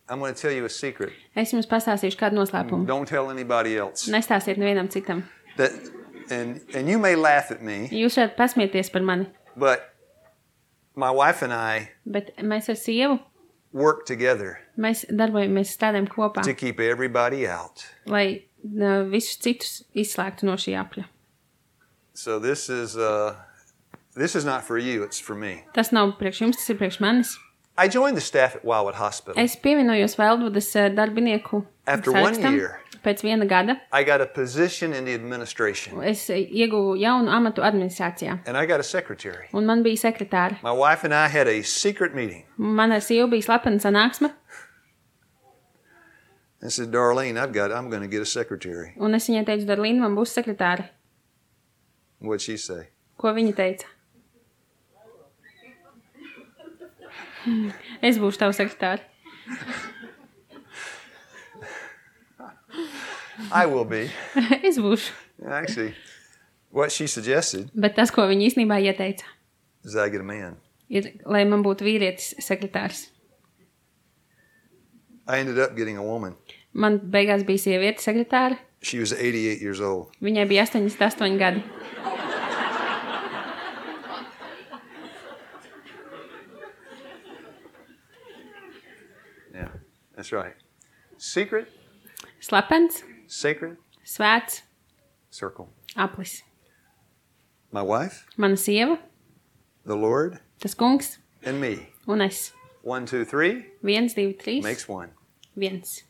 I'm going to tell you a secret. Es jums pastāstīšu kādu noslēpumu. Don't tell anybody else. Nestāstiet nevienam citam. That, and, and you may laugh at me, Jūs varat pasmieties par mani, but my wife and I bet mēs ar sievu, work together mēs darbojamies strādājam kopā, to keep everybody out. lai uh, visus citus izslēgtu no šī apļa. So this is uh, this is not for you, it's for me. Tas nav priekš jums, tas ir priekš manis. I joined the staff at Wildwood Hospital. Es pievienojos Veldvudas uh, darbinieku After one sarakstam. year. Pēc viena gada I got a position in the administration, es ieguvu jaunu amatu administrācijā, and I got a secretary. un man bija sekretāra. My wife and I had a secret meeting. Man ar sievu bija slepena sanāksme, I said, Darlene, I've got, I'm going to get a secretary. un es viņai teicu, Darlīna, man būs sekretāra. What'd she say? Ko viņa teica? Es būšu tava sekretāra. I will be. Es būšu. Actually, what she suggested Bet tas, ko viņa īstenībā ieteica, is that I get a man. ir, lai man būtu vīrietis sekretārs. I ended up getting a woman. Man beigās bija sieviete sekretāra. She was eighty-eight years old. Viņai bija astoņdesmit astoņi gadi. Yeah, that's right. Secret, Slepens, sacred svēts, circle. aplis. My wife, Mana sieva, the Lord, tas kungs and me. un es. One, two, three Viens, divi, trīs, makes one. viens.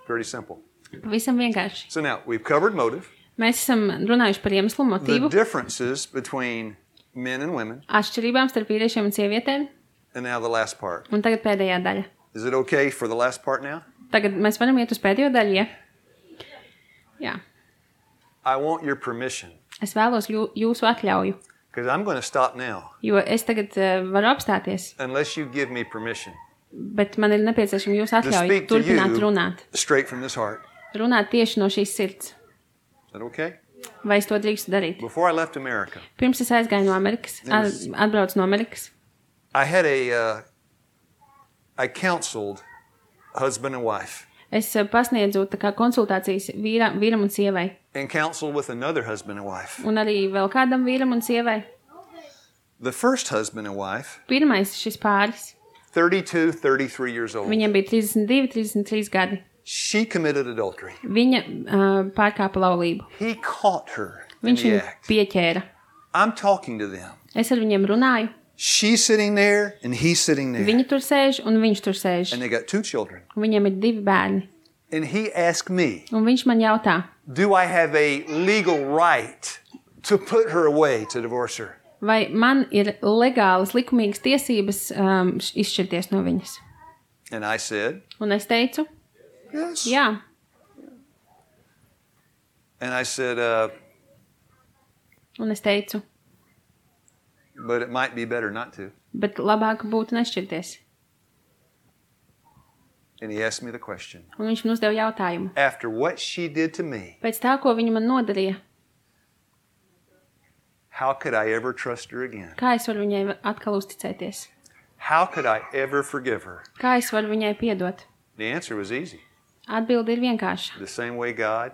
Pretty simple. Pavisam vienkārši. So now we've covered motive, Mēs esam runājuši par iemeslu, the motīvu, differences between men and women, atšķirībām starp vīriešiem un sievietēm, and now the last part. un tagad pēdējā daļa. Is it okay for the last part now? Tagad mēs varam iet uz pēdējo daļu, ja? Jā. I want your permission, Es vēlos jū, jūsu atļauju, because I'm going to stop now jo es tagad uh, varu apstāties, unless you give me permission. bet man ir nepieciešama jūsu To atļauja speak to turpināt you runāt. straight from this heart. Runāt tieši no šīs sirds. Is that okay? Vai es to drīkstu darīt? Before I left America, Pirms es aizgāju no Amerikas, at, Yes. atbraucu no Amerikas, I had a, uh, I counseled husband and wife, es uh, pasniedzu tā kā konsultācijas vīra, vīram un sievai, and counseled with another husband and wife. un arī vēl kādam vīram un sievai. The first husband and wife, Pirmais šis pāris, thirty-two, thirty-three years old, viņam bija trīsdesmit divi, trīsdesmit trīs gadi. she committed adultery. Viņa uh, pārkāpa laulību. He caught her in Viņš the viņu act. pieķēra. I'm talking to them. Es ar viņiem runāju. She's sitting there and he's sitting there. Viņi tur sēž un viņš tur sēž. And they got two children. Viņam ir divi bērni. And he asked me, Un viņš man jautā, do I have a legal right to put her away, to divorce her? vai man ir legālas, likumīgas tiesības um, š- izšķirties no viņas. And I said, Un es teicu, yes. jā. And I said, uh, Un es teicu, but it might be better not to. bet labāk būtu nešķirties. And he asked me the question. Un viņš man uzdeva jautājumu. After what she did to me, Pēc tā, ko viņa man nodarīja, how could I ever trust her again? kā es varu viņai atkal uzticēties? How could I ever forgive her? Kā es varu viņai piedot? The answer was easy. Atbilde ir vienkārša. The same way God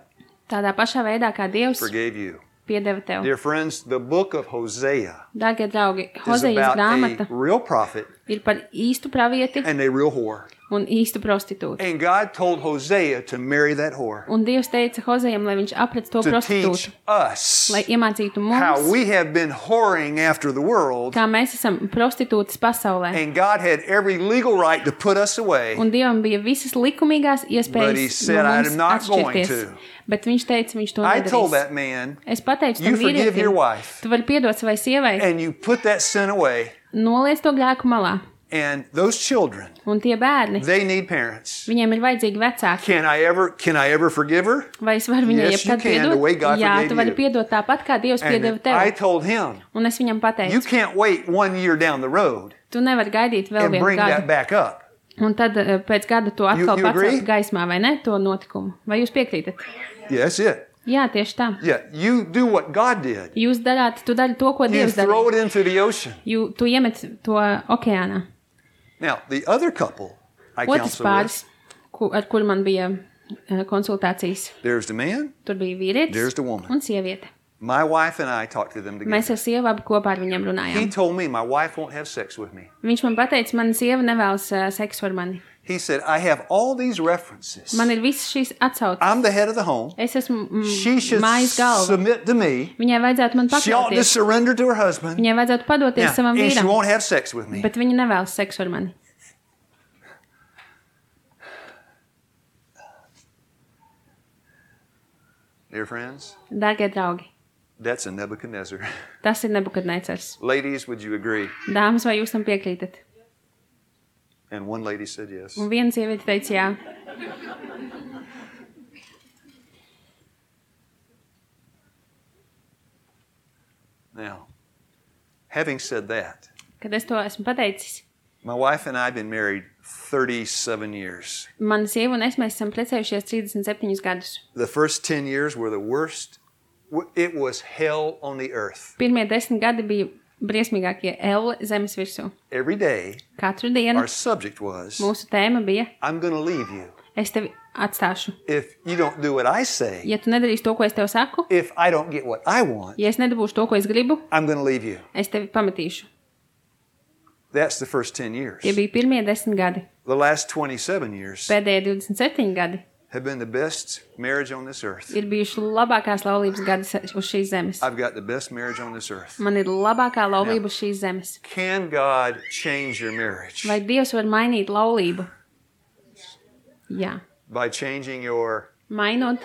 Tādā pašā veidā, kā Dievs forgave you. piedeva tev. Dear friends, the book of Hosea Dārgie draugi, is Hozejas about grāmata a real prophet ir par īstu pravieti and a real whore. un īstu prostitūtu. And God told Hosea to marry that whore. Un Dievs teica Hozejam, lai viņš aprec to To prostitūtu, teach us lai iemācītu how mums, we have been whoring after the world. kā mēs esam prostitūtas pasaulē. And God had every legal right to put us away. Un Dievam bija visas likumīgās But he iespējas said, no "I mums am not going atšķirties. to." Bet viņš teica, viņš to I told nedarīs. that man, Es pateicu "You tam forgive your vīrietim, wife tu vari piedot savai sievai, and you put that sin away. noliec to grēku malā. And those children, Un tie bērni, they need parents. viņiem ir vajadzīgi vecāki. Can I ever can I ever forgive her?" Vai es varu viņai Yes, you jebkad can, the way piedot? God Jā, forgave tu vari you. piedot tāpat, kā Dievs And piedeva then I tev. told him, Un es viņam "You pateicu, can't wait one year down the road tu nevari gaidīt vēl and vienu bring that gadu. back up." Un tad eh, pēc gada to atkal You- you agree? pacelt gaismā, vai ne, to notikumu. Vai jūs piekrītat? Yeah, that's it. Jā, tieši tā. Yeah, you do what God did. Jūs darāt, tu dari to, ko You Dievs throw darīja. it into the ocean. Jū, tu iemet to okeānā. Now, the other couple I Otrs counsel pāris, with, ku, ar kuru man bija eh, konsultācijas, there's the man, tur bija there's vīrietis the woman. un sieviete. My wife and I talked to them Mēs together. ar sievu abi kopā ar viņiem He runājām. told me my wife won't have sex with me. Viņš man pateica, mana sieva nevēlas uh, seksu ar mani. He said, "I have all these references. Man ir visas šīs atsauces. I'm the head of the home. Es esmu mm, She should mājas galva. submit to me. Viņai vajadzētu man She ought to pakļauties. surrender to her husband. Viņai vajadzētu padoties Yeah, savam and she vīram, won't have sex with me." bet viņa nevēlas seksu ar mani. Dear friends, Dārgie draugi, that's a Nebuchadnezzar. tas ir Nebukadnecars. Ladies, would you agree? Dāmas, vai jūs tam piekrītat? And one lady said yes. Un viena sieviete teica jā. Now, having said that, Kad es to esmu pateicis, my wife and I have been married thirty-seven years. mana sieva un es mēs esam precējušies trīsdesmit septiņus gadus. The first ten years were the worst. It was hell on the earth. Pirmie desmit gadi bija briesmīgākie elle zemes virsū. Every day, Katru dienu our subject was, mūsu tēma bija, "I'm going to leave you es tevi atstāšu. if you don't do what I say. Ja tu nedarīsi to, ko es tev saku, If I don't get what I want, ja es nedabūšu to, ko es gribu, I'm going to leave you." es tevi pametīšu. That's the first ten years. Tie bija pirmie desmit gadi. The last twenty-seven years Pēdējie divdesmit septiņi gadi have been the best marriage on this earth. ir bijuši labākās laulības gadi se- uz šīs zemes. I've got the best marriage on this earth. Man ir labākā laulība uz šīs zemes. Can God change your marriage Vai Dievs var mainīt laulību? Jā. by changing your Mainot,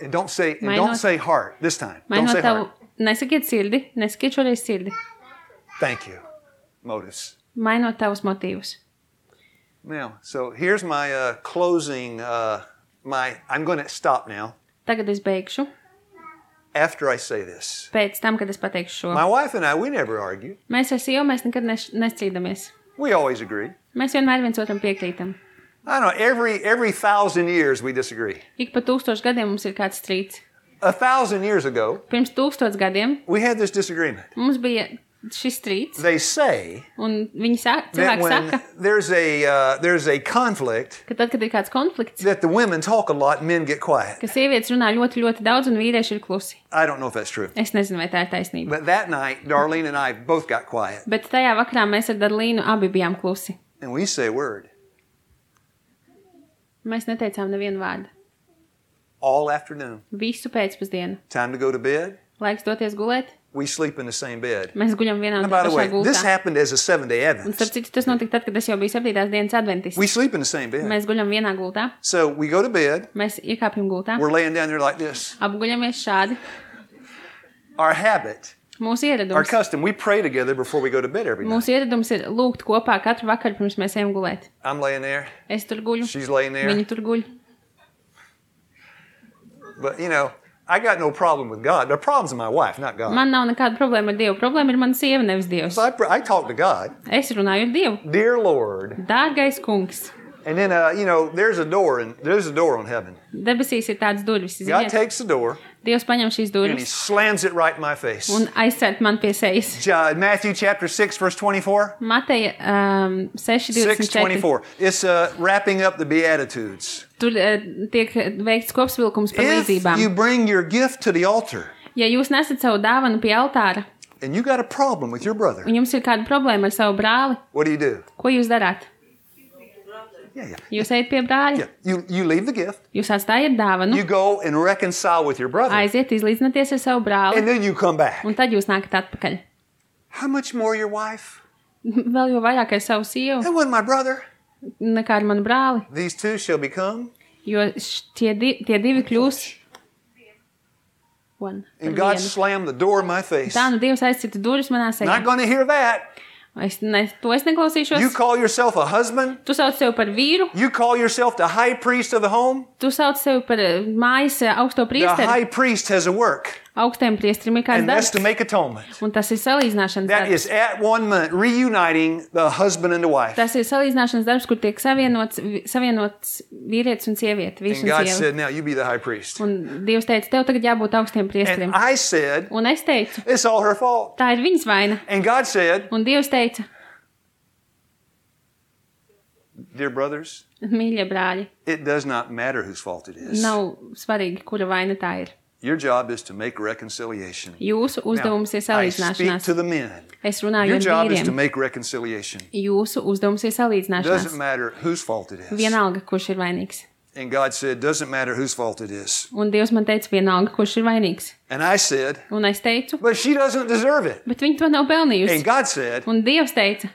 and don't say and Mainot- don't say heart this time. Don't mainot say tavu, heart. nesakiet sirdi, nesakiet šoreiz sirdi. Thank you. Motives. Mainot tavus motīvus. Now, so here's my uh, closing. Uh, my I'm going to stop now Tagad es beigšu. after I say this. Pēc tam, kad es pateikšu šo. My wife and I, we never argue. Mēs ar sievu mēs nekad neš- nestrīdamies. We always agree. Mēs vienmēr viens otram piekrītam. I don't know. Every every thousand years we disagree. Ik pa tūkstošu gadiem mums ir kāds strīds. A thousand years ago, Pirms tūkstots gadiem we had this disagreement. mums bija šis strīds, They say un viņi saka, that cilvēki when saka, there's a uh, there's a conflict, ka tad, kad ir kāds konflikts, that the women talk a lot and men get quiet. ka sievietes runā ļoti, ļoti daudz un vīrieši ir klusi. I don't know if that's true. Es nezinu, vai tā ir taisnība. But that night, Darlene and I both got quiet, Bet tajā vakarā mēs ar Darlīnu abi bijām klusi. and we say a word Mēs neteicām nevienu vārdu. all afternoon. Visu pēcpusdienu. Time to go to bed. Laiks doties gulēt. We sleep in the same bed. Mēs guļam vienā And un by the tā way, pašā this gultā. happened as a seven-day Un Advent. starp citu, tas notika tad, kad es jau biju septītās dienas adventists. We sleep in the same bed. Mēs guļam vienā gultā. So we go to bed. Mēs iekāpjam gultā. We're laying down there like this. Apguļamies šādi. Our habit, Mūsu our ieradums. custom, we pray together before we go to bed every night. Mūsu ieradums ir lūgt kopā katru vakaru, pirms mēs ejam gulēt. I'm laying there. Es tur guļu. She's laying there. Viņi tur guļ. But, you know, I got no problem with God. The problem's with my wife, not God. Man nav nekāda problēma ar Dievu. Problēma ir mana sieva, nevis Dievs. So I, pr- I talk to God. Es runāju ar Dievu. Dear Lord. Dārgais kungs. And then, uh, you know, there's a door, and there's a door on heaven. Debesīs ir tāds durvis. God Ziniet, takes the door. Dievs paņem šīs and he durvis slams it right in my face. un aizcēt man pie sejas. Uh, Matthew chapter six, verse twenty-four. Mateja um, seši six divdesmit četri. twenty-four. It's uh, wrapping up the Beatitudes. Tur uh, tiek veikts kopsvilkums par If līdzībām. you bring your gift to the altar Ja jūs nesat savu dāvanu pie altāra and you got a problem with your brother, un jums ir kāda problēma ar savu brāli, what do you do? ko jūs darāt? Yeah, yeah. Jūs ejat pie brāļa, Yeah, you, you leave the gift, jūs atstājat dāvanu, you go and reconcile with your brother, aiziet izlīdzināties ar savu brāli, and then you come back. un tad jūs nākat atpakaļ. How much more your wife? Vēl jau vairāk ar savu sievu That wasn't my brother. nekā ar manu brāli, These two shall become. jo š- tie, di tie divi kļūs one. And par God vienu. slammed the door in my face. Tā nu Dievs aizcita durvis manā sejā. Not going to hear that. Es ne, to es You neklausīšos. call yourself a husband. Tu sauc sevi par vīru, You call yourself the high priest of the home. tu sauc sevi par eh, mājas eh, augsto The priesteri. high priest has a work, Augstiem priesterim ir kāds and that's darbs, to make atonement. un tas ir salīdzināšanas That darbs. is at one moment reuniting the husband and the wife. Tas ir salīdzināšanas darbs, kur tiek savienots, vi- savienots vīrietis un sieviete, vīrs And un God sieva. said, now you be the high priest. Un Dievs teica, tev tagad jābūt augstiem And priesterim. I said, Un es teicu, it's all her fault. tā ir viņas vaina. And God said, Un Dievs teica, dear brothers, mīļie brāļi, it does not matter whose fault it is. nav svarīgi, kura vaina tā ir. Your job is to make reconciliation. Jūsu uzdevums ir Now, I speak salīdzināšanās. to the men. Es runāju Your ar job is to vīriem. make reconciliation. Jūsu uzdevums ir It doesn't salīdzināšanās. matter whose fault it is. Vienalga, kurš ir vainīgs. And God said, doesn't matter whose fault it is. Un Dievs man teica, vienalga, kurš ir vainīgs. And I said, Un es teicu, but she doesn't deserve it. bet viņi to nav pelnījusi. And God said, Un Dievs teica,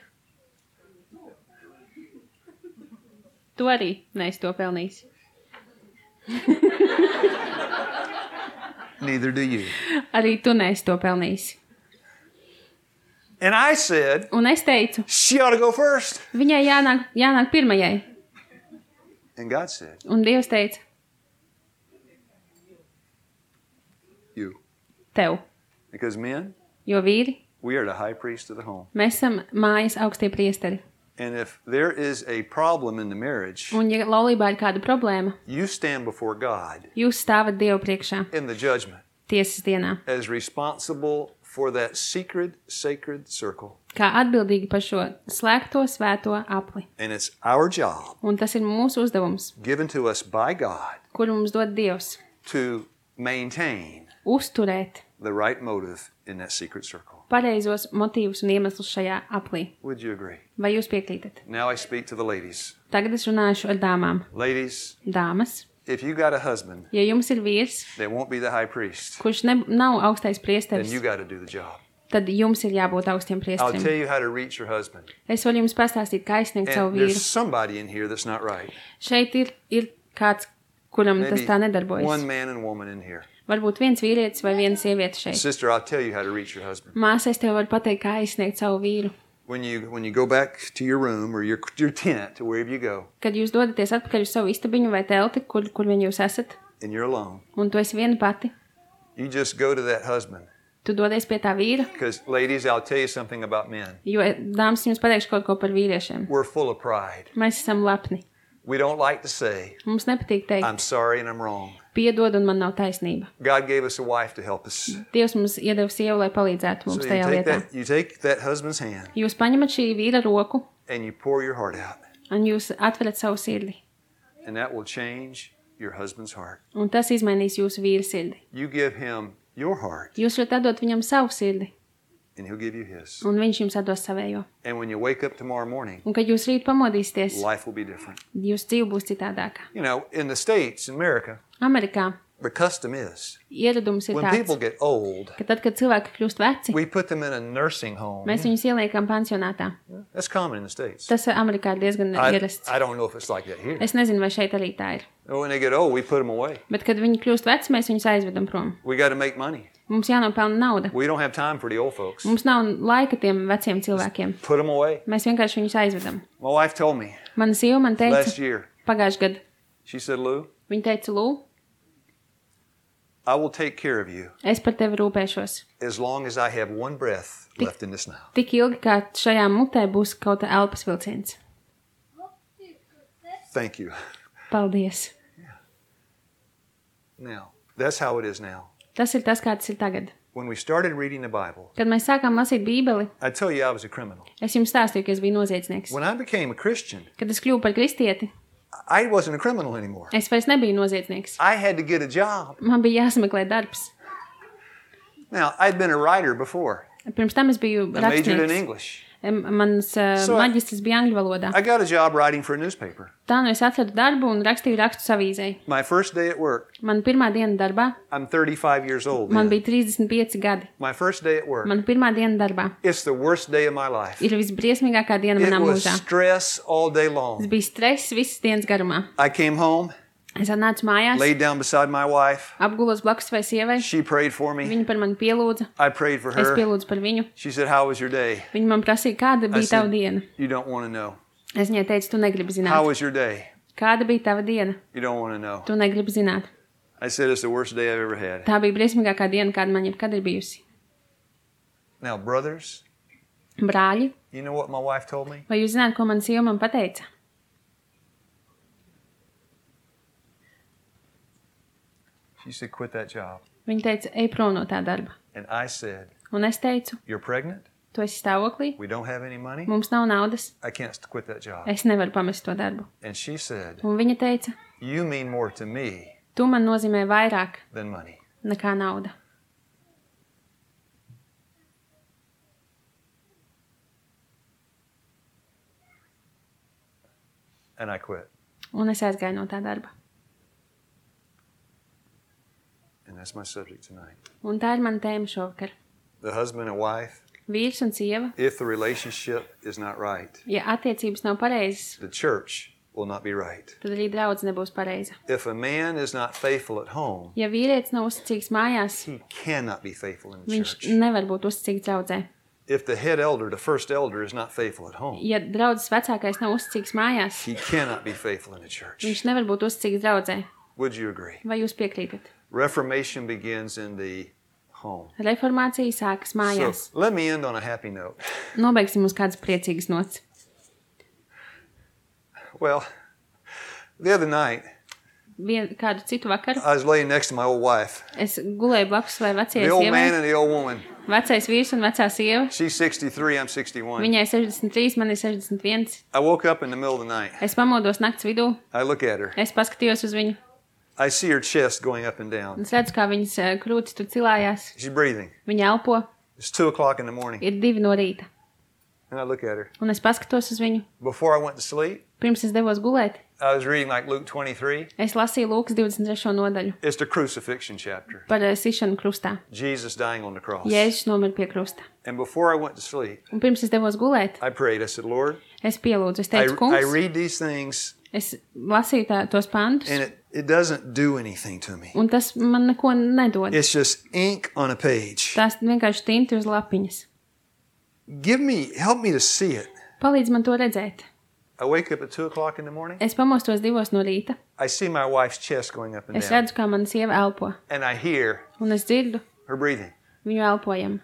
tu arī neesi to pelnījis. neither do you. Arī tu neesi to pelnījis. And I said, Un es teicu, she ought to go first. viņai jānāk, jānāk pirmajai. And God said, Un Dievs teica, you. tev. Because men, Jo vīri, we are the high priest of the home. mēs esam mājas augstie priesteri. And if there is a problem in the marriage, Un ja laulībā ir kāda problēma, you stand before God jūs stāvat Dievu priekšā in the judgment tiesas dienā, as responsible for that secret, sacred circle. kā atbildīgi par šo slēgto svēto apli. And it's our job, Un tas ir mūsu uzdevums, given to us by God, kuru mums dod Dievs, to maintain uzturēt the right motive in that secret circle. pareizos motīvus un iemeslus šajā aplī. Would you agree? Vai jūs piekrītat? Now I speak to the ladies. Tagad es runāšu ar dāmām. Ladies, Dāmas, if you got a husband ja jums ir vīrs, that won't be the high priest, kurš ne, nav augstais then priesteris, you got to do the job. tad jums ir jābūt augstiem I'll tell priesterim. you how to reach your husband. Es varu jums pastāstīt, kā aizsniegt savu And vīru. there's somebody in here that's not right. Šeit ir, ir kāds, kuram tas Maybe tā nedarbojas. one man and woman in here. Varbūt viens vīrietis vai viena sieviete šeit. Sister, I'll tell you how to reach your husband. Māsa, es tev varu pateikt, kā aizsniegt savu vīru. When you when you go back to your room or your your tent to wherever you go, Kad jūs dodaties atpakaļ uz savu istabiņu vai telti, kur, kur vien jūs esat, and you're alone, un tu esi viena pati, you just go to that husband. tu dodies pie tā vīra, Because ladies, I'll tell you something about men. jo, dāmas, jums pateikšu kaut ko par vīriešiem. We're full of pride. Mēs esam lepni. We don't like to say, Mums nepatīk teikt, I'm sorry and I'm wrong. piedod un man nav taisnība. God gave us a wife to help us. Dievs mums iedeva sievu, lai palīdzētu So mums you tajā take lietā. that you take that husband's hand Jūs paņemat šī vīra roku and you pour your heart out. un jūs atverat savu sirdi. And that will change your husband's heart. Un tas izmainīs jūsu vīra sirdi. You give him your heart Jūs varat atdot viņam savu sirdi, and he'll give you his. un viņš jums atdos savējo. And when you wake up tomorrow morning, Un kad jūs rīt pamodīsieties, life will be different. jūsu dzīve būs citādāka. You know, in the States, in America, Amerikā the custom is ieradums ir when tāds, people get old, ka tad, kad cilvēki kļūst veci, we put them in a nursing home. mēs viņus ieliekam pansionātā. That's common in the States. Tas Amerikā ir diezgan I, ierasts. I don't know if it's like that here. Es nezinu, vai šeit arī tā ir. When they get old, we put them away. Bet, kad viņi kļūst veci, mēs viņus aizvedam prom. We got to make money. Mums jānopelna nauda. We don't have time for the old folks. Mums nav laika tiem veciem cilvēkiem. Put them away. Mēs vienkārši viņus aizvedam. My wife told me Mana sieva man last teica, year, pagājušajā gadā, she said, Lou, viņa teica, Lū, I will take care of you es par tevi rūpēšos. as long as I have one breath left in this mouth. Tik ilgi, kā šajā mutē būs kaut kā elpas vilciens. Thank you. Paldies. Now, that's how it is now. Tas ir tas, kā tas ir tagad. When we started reading the Bible, Kad mēs sākām lasīt Bībeli, I tell you I was a criminal. es jums stāstīju, ka es biju noziedznieks. When I became a Christian, Kad es kļuvu par kristieti, I wasn't a criminal anymore. es vairs nebiju noziedznieks. I had to get a job. Man bija jāsameklē darbs. Now, I'd been a writer before. Pirms tam es biju I majored in rakstnieks. English. Mans uh, So I- maģistrs bija angļu valodā. I got a job writing for a newspaper. Tā nu es atradu darbu un rakstīju rakstus avīzei. My first day at work, Man pirmā diena darbā, I'm thirty-five years old. man then. bija trīsdesmit pieci gadi. My first day at work, Man pirmā diena darbā it's the worst day of my life. ir visbriesmīgākā diena It manā was mūžā. stress all day Tas long. bija stress visas dienas garumā. I came home, Es atnācu mājās, laid down beside my wife. apgulos blakus savai sievai. She prayed for me. Viņa par mani pielūdza. I prayed for Es her. pielūdzu par viņu. She said, "How was your day?" Viņa man prasīja, kāda I bija tava said, diena. "You don't want to know." Es viņai teicu, tu negribi "How zināt. was your day?" Kāda bija tava diena? "You don't want to know." Tu negribi zināt. I said, "It's the worst day I've ever had." Tā bija briesmīgākā diena, kāda man jebkad ir bijusi. Now, brothers, Brāļi, you know what my wife told me? vai jūs zināt, ko man sieva man pateica? She said, "Quit that job." Viņa teica, ej prom no tā darba. And I said, Un es teicu, "You're pregnant? tu esi stāvoklī, We don't have any money? mums nav naudas, I can't quit that job." es nevaru pamest to darbu. And she said, Un viņa teica, "You mean more to me tu man nozīmē vairāk than money." nekā nauda. And I quit. Un es aizgāju no tā darba. And that's my subject tonight. Un tā ir mana tēma šovakar. The husband and wife, Vīrs un sieva, if the relationship is not right, ja attiecības nav pareizas, the church will not be right. tad arī draudz nebūs pareiza. If a man is not faithful at home, Ja vīrietis nav uzticīgs mājās, he cannot be faithful in the viņš church. nevar būt uzticīgs draudzē. If the head elder, the first elder, is not faithful at home, Ja draudzes vecākais nav uzticīgs mājās, he cannot be faithful in the church. viņš nevar būt uzticīgs draudzē. Would you agree? Vai jūs piekrītat? Reformation begins in the home. Reformācija sākas mājās. So let me end on a happy note. Nobeigsim uz kādas priecīgas nots. Well, the other night, Vien, kādu citu vakaru I was laying next to my old wife, es gulēju blakus vai vecajai the old man sievai. and the old woman. Vecais vīrs un vecā sieva. She's sixty-three, I'm sixty-one. Viņai sešdesmit trīs, man ir sešdesmit viens. I woke up in the middle of the night. Es pamodos nakts vidū, I look at her. es paskatījos uz viņu. I see her chest going up and down. Un es redzu, kā viņas eh, krūtis tur cilājās. She's breathing. Viņa elpo, It's two o'clock in the morning. ir divi no rīta. And I look at her. Un es paskatos uz viņu. Before I went to sleep, Pirms es devos gulēt, I was reading like Luke twenty-three. es lasīju Lūkas divdesmit trešo nodaļu It's the crucifixion chapter. par eh, sišanu krustā. Jesus dying on the cross. Jēzus nomira pie krusta. And before I went to sleep, Un pirms es devos gulēt, I prayed. I said, Lord, es pielūdzu. Es I, teicu, I kungs, read these things es lasīju tā, tos pantus, and it, it doesn't do anything to me. un tas man neko nedod. It's just ink on a page. Tās vienkārši tinti uz lapiņas. Give me, help me to see it. Palīdz man to redzēt. I wake up at two o'clock in the morning. Es pamostos divos no rīta. I see my wife's chest going up and Es down. redzu, kā mana sieva elpo. And I hear Un es dzirdu her breathing. viņu elpojumu.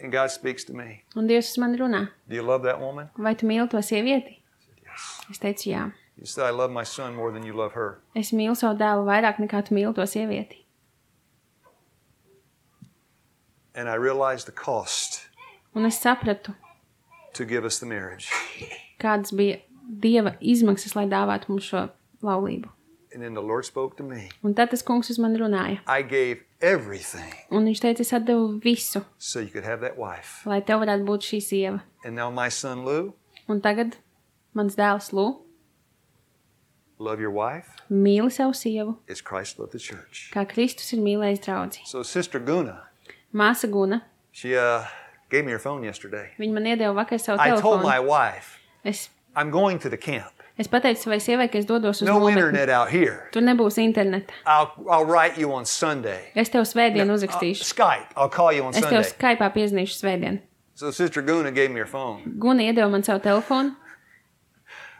And God speaks to me. Un Dievs uz mani runā. Do you love that woman? Vai tu mīli to sievieti? Yes. Es teicu, jā. You said, I love my son more than you love her. Es mīlu savu dēlu vairāk nekā tu mīli to sievieti. And I realized the cost Un es sapratu, to give us the marriage. kādas bija Dieva izmaksas, lai dāvātu mums šo laulību. And then the Lord spoke to me. Un tad tas kungs uz mani runāja. I gave everything Un viņš teica, es atdevu visu, so you could have that wife. lai tev varētu būt šī sieva. And now my son Lou, Un tagad mans dēls Lū love your wife mīli savu sievu, as Christ loved the church. kā Kristus ir mīlējis draudzi. So Sister Guna, Māsa Guna, she uh, gave me her phone yesterday. viņa man iedeva vakar savu I told telefonu. my wife, Es, I'm going to the camp. es pateicu savai sievai, ka es dodos uz No nometni. internet out here. Tur nebūs interneta. I'll, I'll write you on Sunday. Es tev svētdien Uh, uzrakstīšu. Skype. I'll call you on Es tev Sunday. Skype'ā piezinīšu svētdien. So Sister Guna gave me her phone. Guna iedeva man savu telefonu.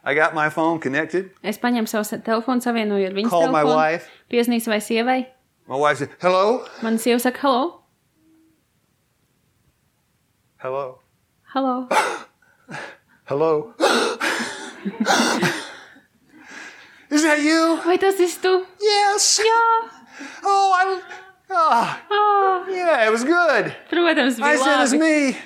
I got my phone connected. Es paņēmu savu sa- telefonu, savienoju ar viņas Called my telefonu. wife. Piezinīju savai sievai. My wife said, hello? Mana sieva saka, halo, Hello? halo. Hello? Is that you? Vai tas esi tu? Yes. Jā. Oh, I, Oh, Oh, yeah, it was good. protams, I bija said, it's labi. me.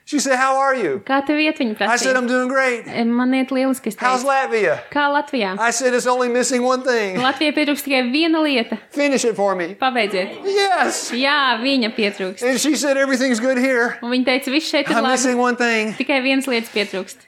She said, how are you? Kā tev iet, viņa I said, prasīja? I'm doing great. Man iet lieliski, es How's teicu. Latvia? Kā Latvijā? I said, it's only missing one thing. Latvijai pietrūkst tikai viena lieta. Finish it for me. Pabeidziet. Yes. Jā, viņa pietrūkst. And she said, everything's good here. Un viņa teica, viss šeit ir I'm labi. missing one thing. Tikai viens lietas pietrūkst.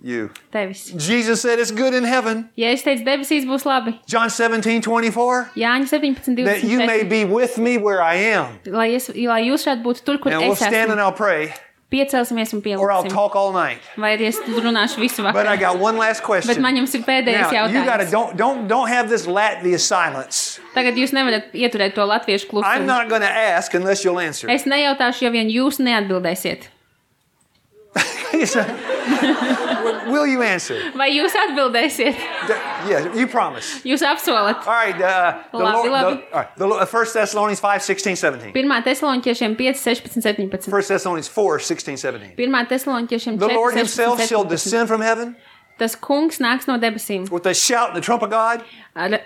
You. Tevis. Jesus said it's good in heaven. Ja es teicu, debesīs būs labi. John seventeen twenty-four. Jāņa septiņpadsmit, That you may divdesmit be with me where I am. četri. Lai, es, lai jūs šādi būtu tur, kur And we'll es stand and esmu. I'll pray. Piecelsimies un Or I'll pieliksim. talk all night. Vai arī es runāšu visu But I vakaru. got one last Bet question. man jums ir pēdējais Now, you gotta jautājums. don't don't don't have this Latvia silence. Tagad jūs nevarat ieturēt to latviešu I'm klusumu. not gonna ask unless you'll answer. Es nejautāšu, ja vien jūs neatbildēsiet. Will you answer? Vai jūs atbildēsiet? Yeah, you promise. Jūs apsolat. All right, uh, the Labi, Lord, labi. the, all right, the Lord, First Thessalonians five, sixteen, seventeen. Pirmā Tesaloniķiešiem pieci, sešpadsmit, septiņpadsmit. First Thessalonians four, sixteen, seventeen. Pirmā Tesaloniķiešiem The Lord četri, himself sešpadsmit, shall septiņpadsmit. descend from heaven Tas kungs nāks no debesīm with a shout and the trump of God ar,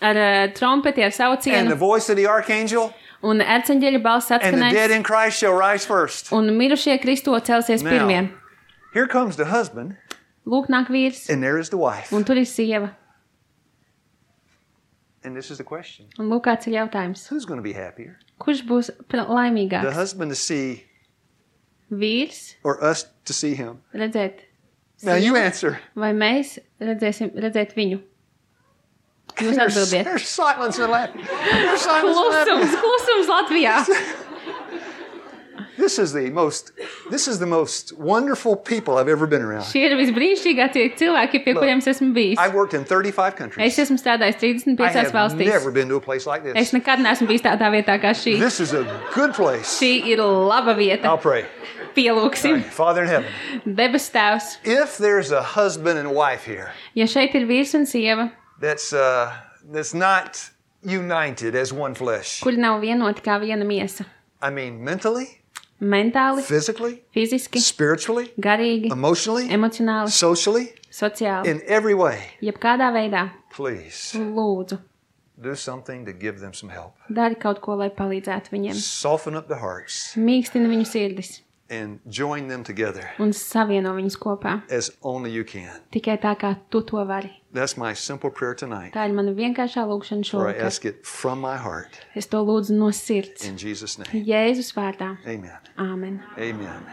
ar uh, trompeti, ar and the saucienu, voice of the archangel, un erceņģeļa balss and the dead atskanēs, in Christ shall rise first. un mirušie Kristo celsies Now. pirmie. Here comes the husband, Lūk, nāk vīrs, and there is the wife. un tur ir sieva. And this is the question. Un lūk, kāds ir jautājums. Who's going to be happier? Kurš būs pr- The laimīgāks? husband to see Vīrs or us to see him? redzēt Now you sievu, answer. vai mēs redzēsim, redzēt viņu? Jūs There's, atbildiet. there's silence in Latvia. There's silence in Latvia. Klusums, klusums Latvijā. This is the most. This is the most wonderful people I've ever been around. Šie ir visbrīnišķīgākie cilvēki, pie kuriem es esmu bijis. I've worked in thirty-five Es countries. esmu strādājis trīsdesmit I piecās have valstīs. never been to a place like Es this. nekad neesmu bijis tādā vietā kā šī. This is a good place. Šī ir laba vieta. I'll pray. Pielūksim. Father in heaven, Debes tēvs. if there's a husband and wife here Ja šeit ir vīrs un sieva, that's uh, that's not united as one flesh, kuri nav vienoti kā viena miesa, I mean mentally, mentāli, physically, fiziski, spiritually, garīgi, emotionally, emocionāli, socially, sociāli, in every way, jebkādā veidā, please lūdzu, do something to give them some help. dari kaut ko, lai palīdzētu viņiem. Soften up the hearts Mīkstina viņu sirdis and join them together un savieno viņus kopā. as only you can. Tikai tā, kā tu to vari. That's my simple prayer tonight. Tā ir mana vienkāršā lūkšana For I šovakar. ask it from my heart Es to lūdzu no sirds. in Jesus' name. Jēzus vārdā. Amen. Āmen. Amen.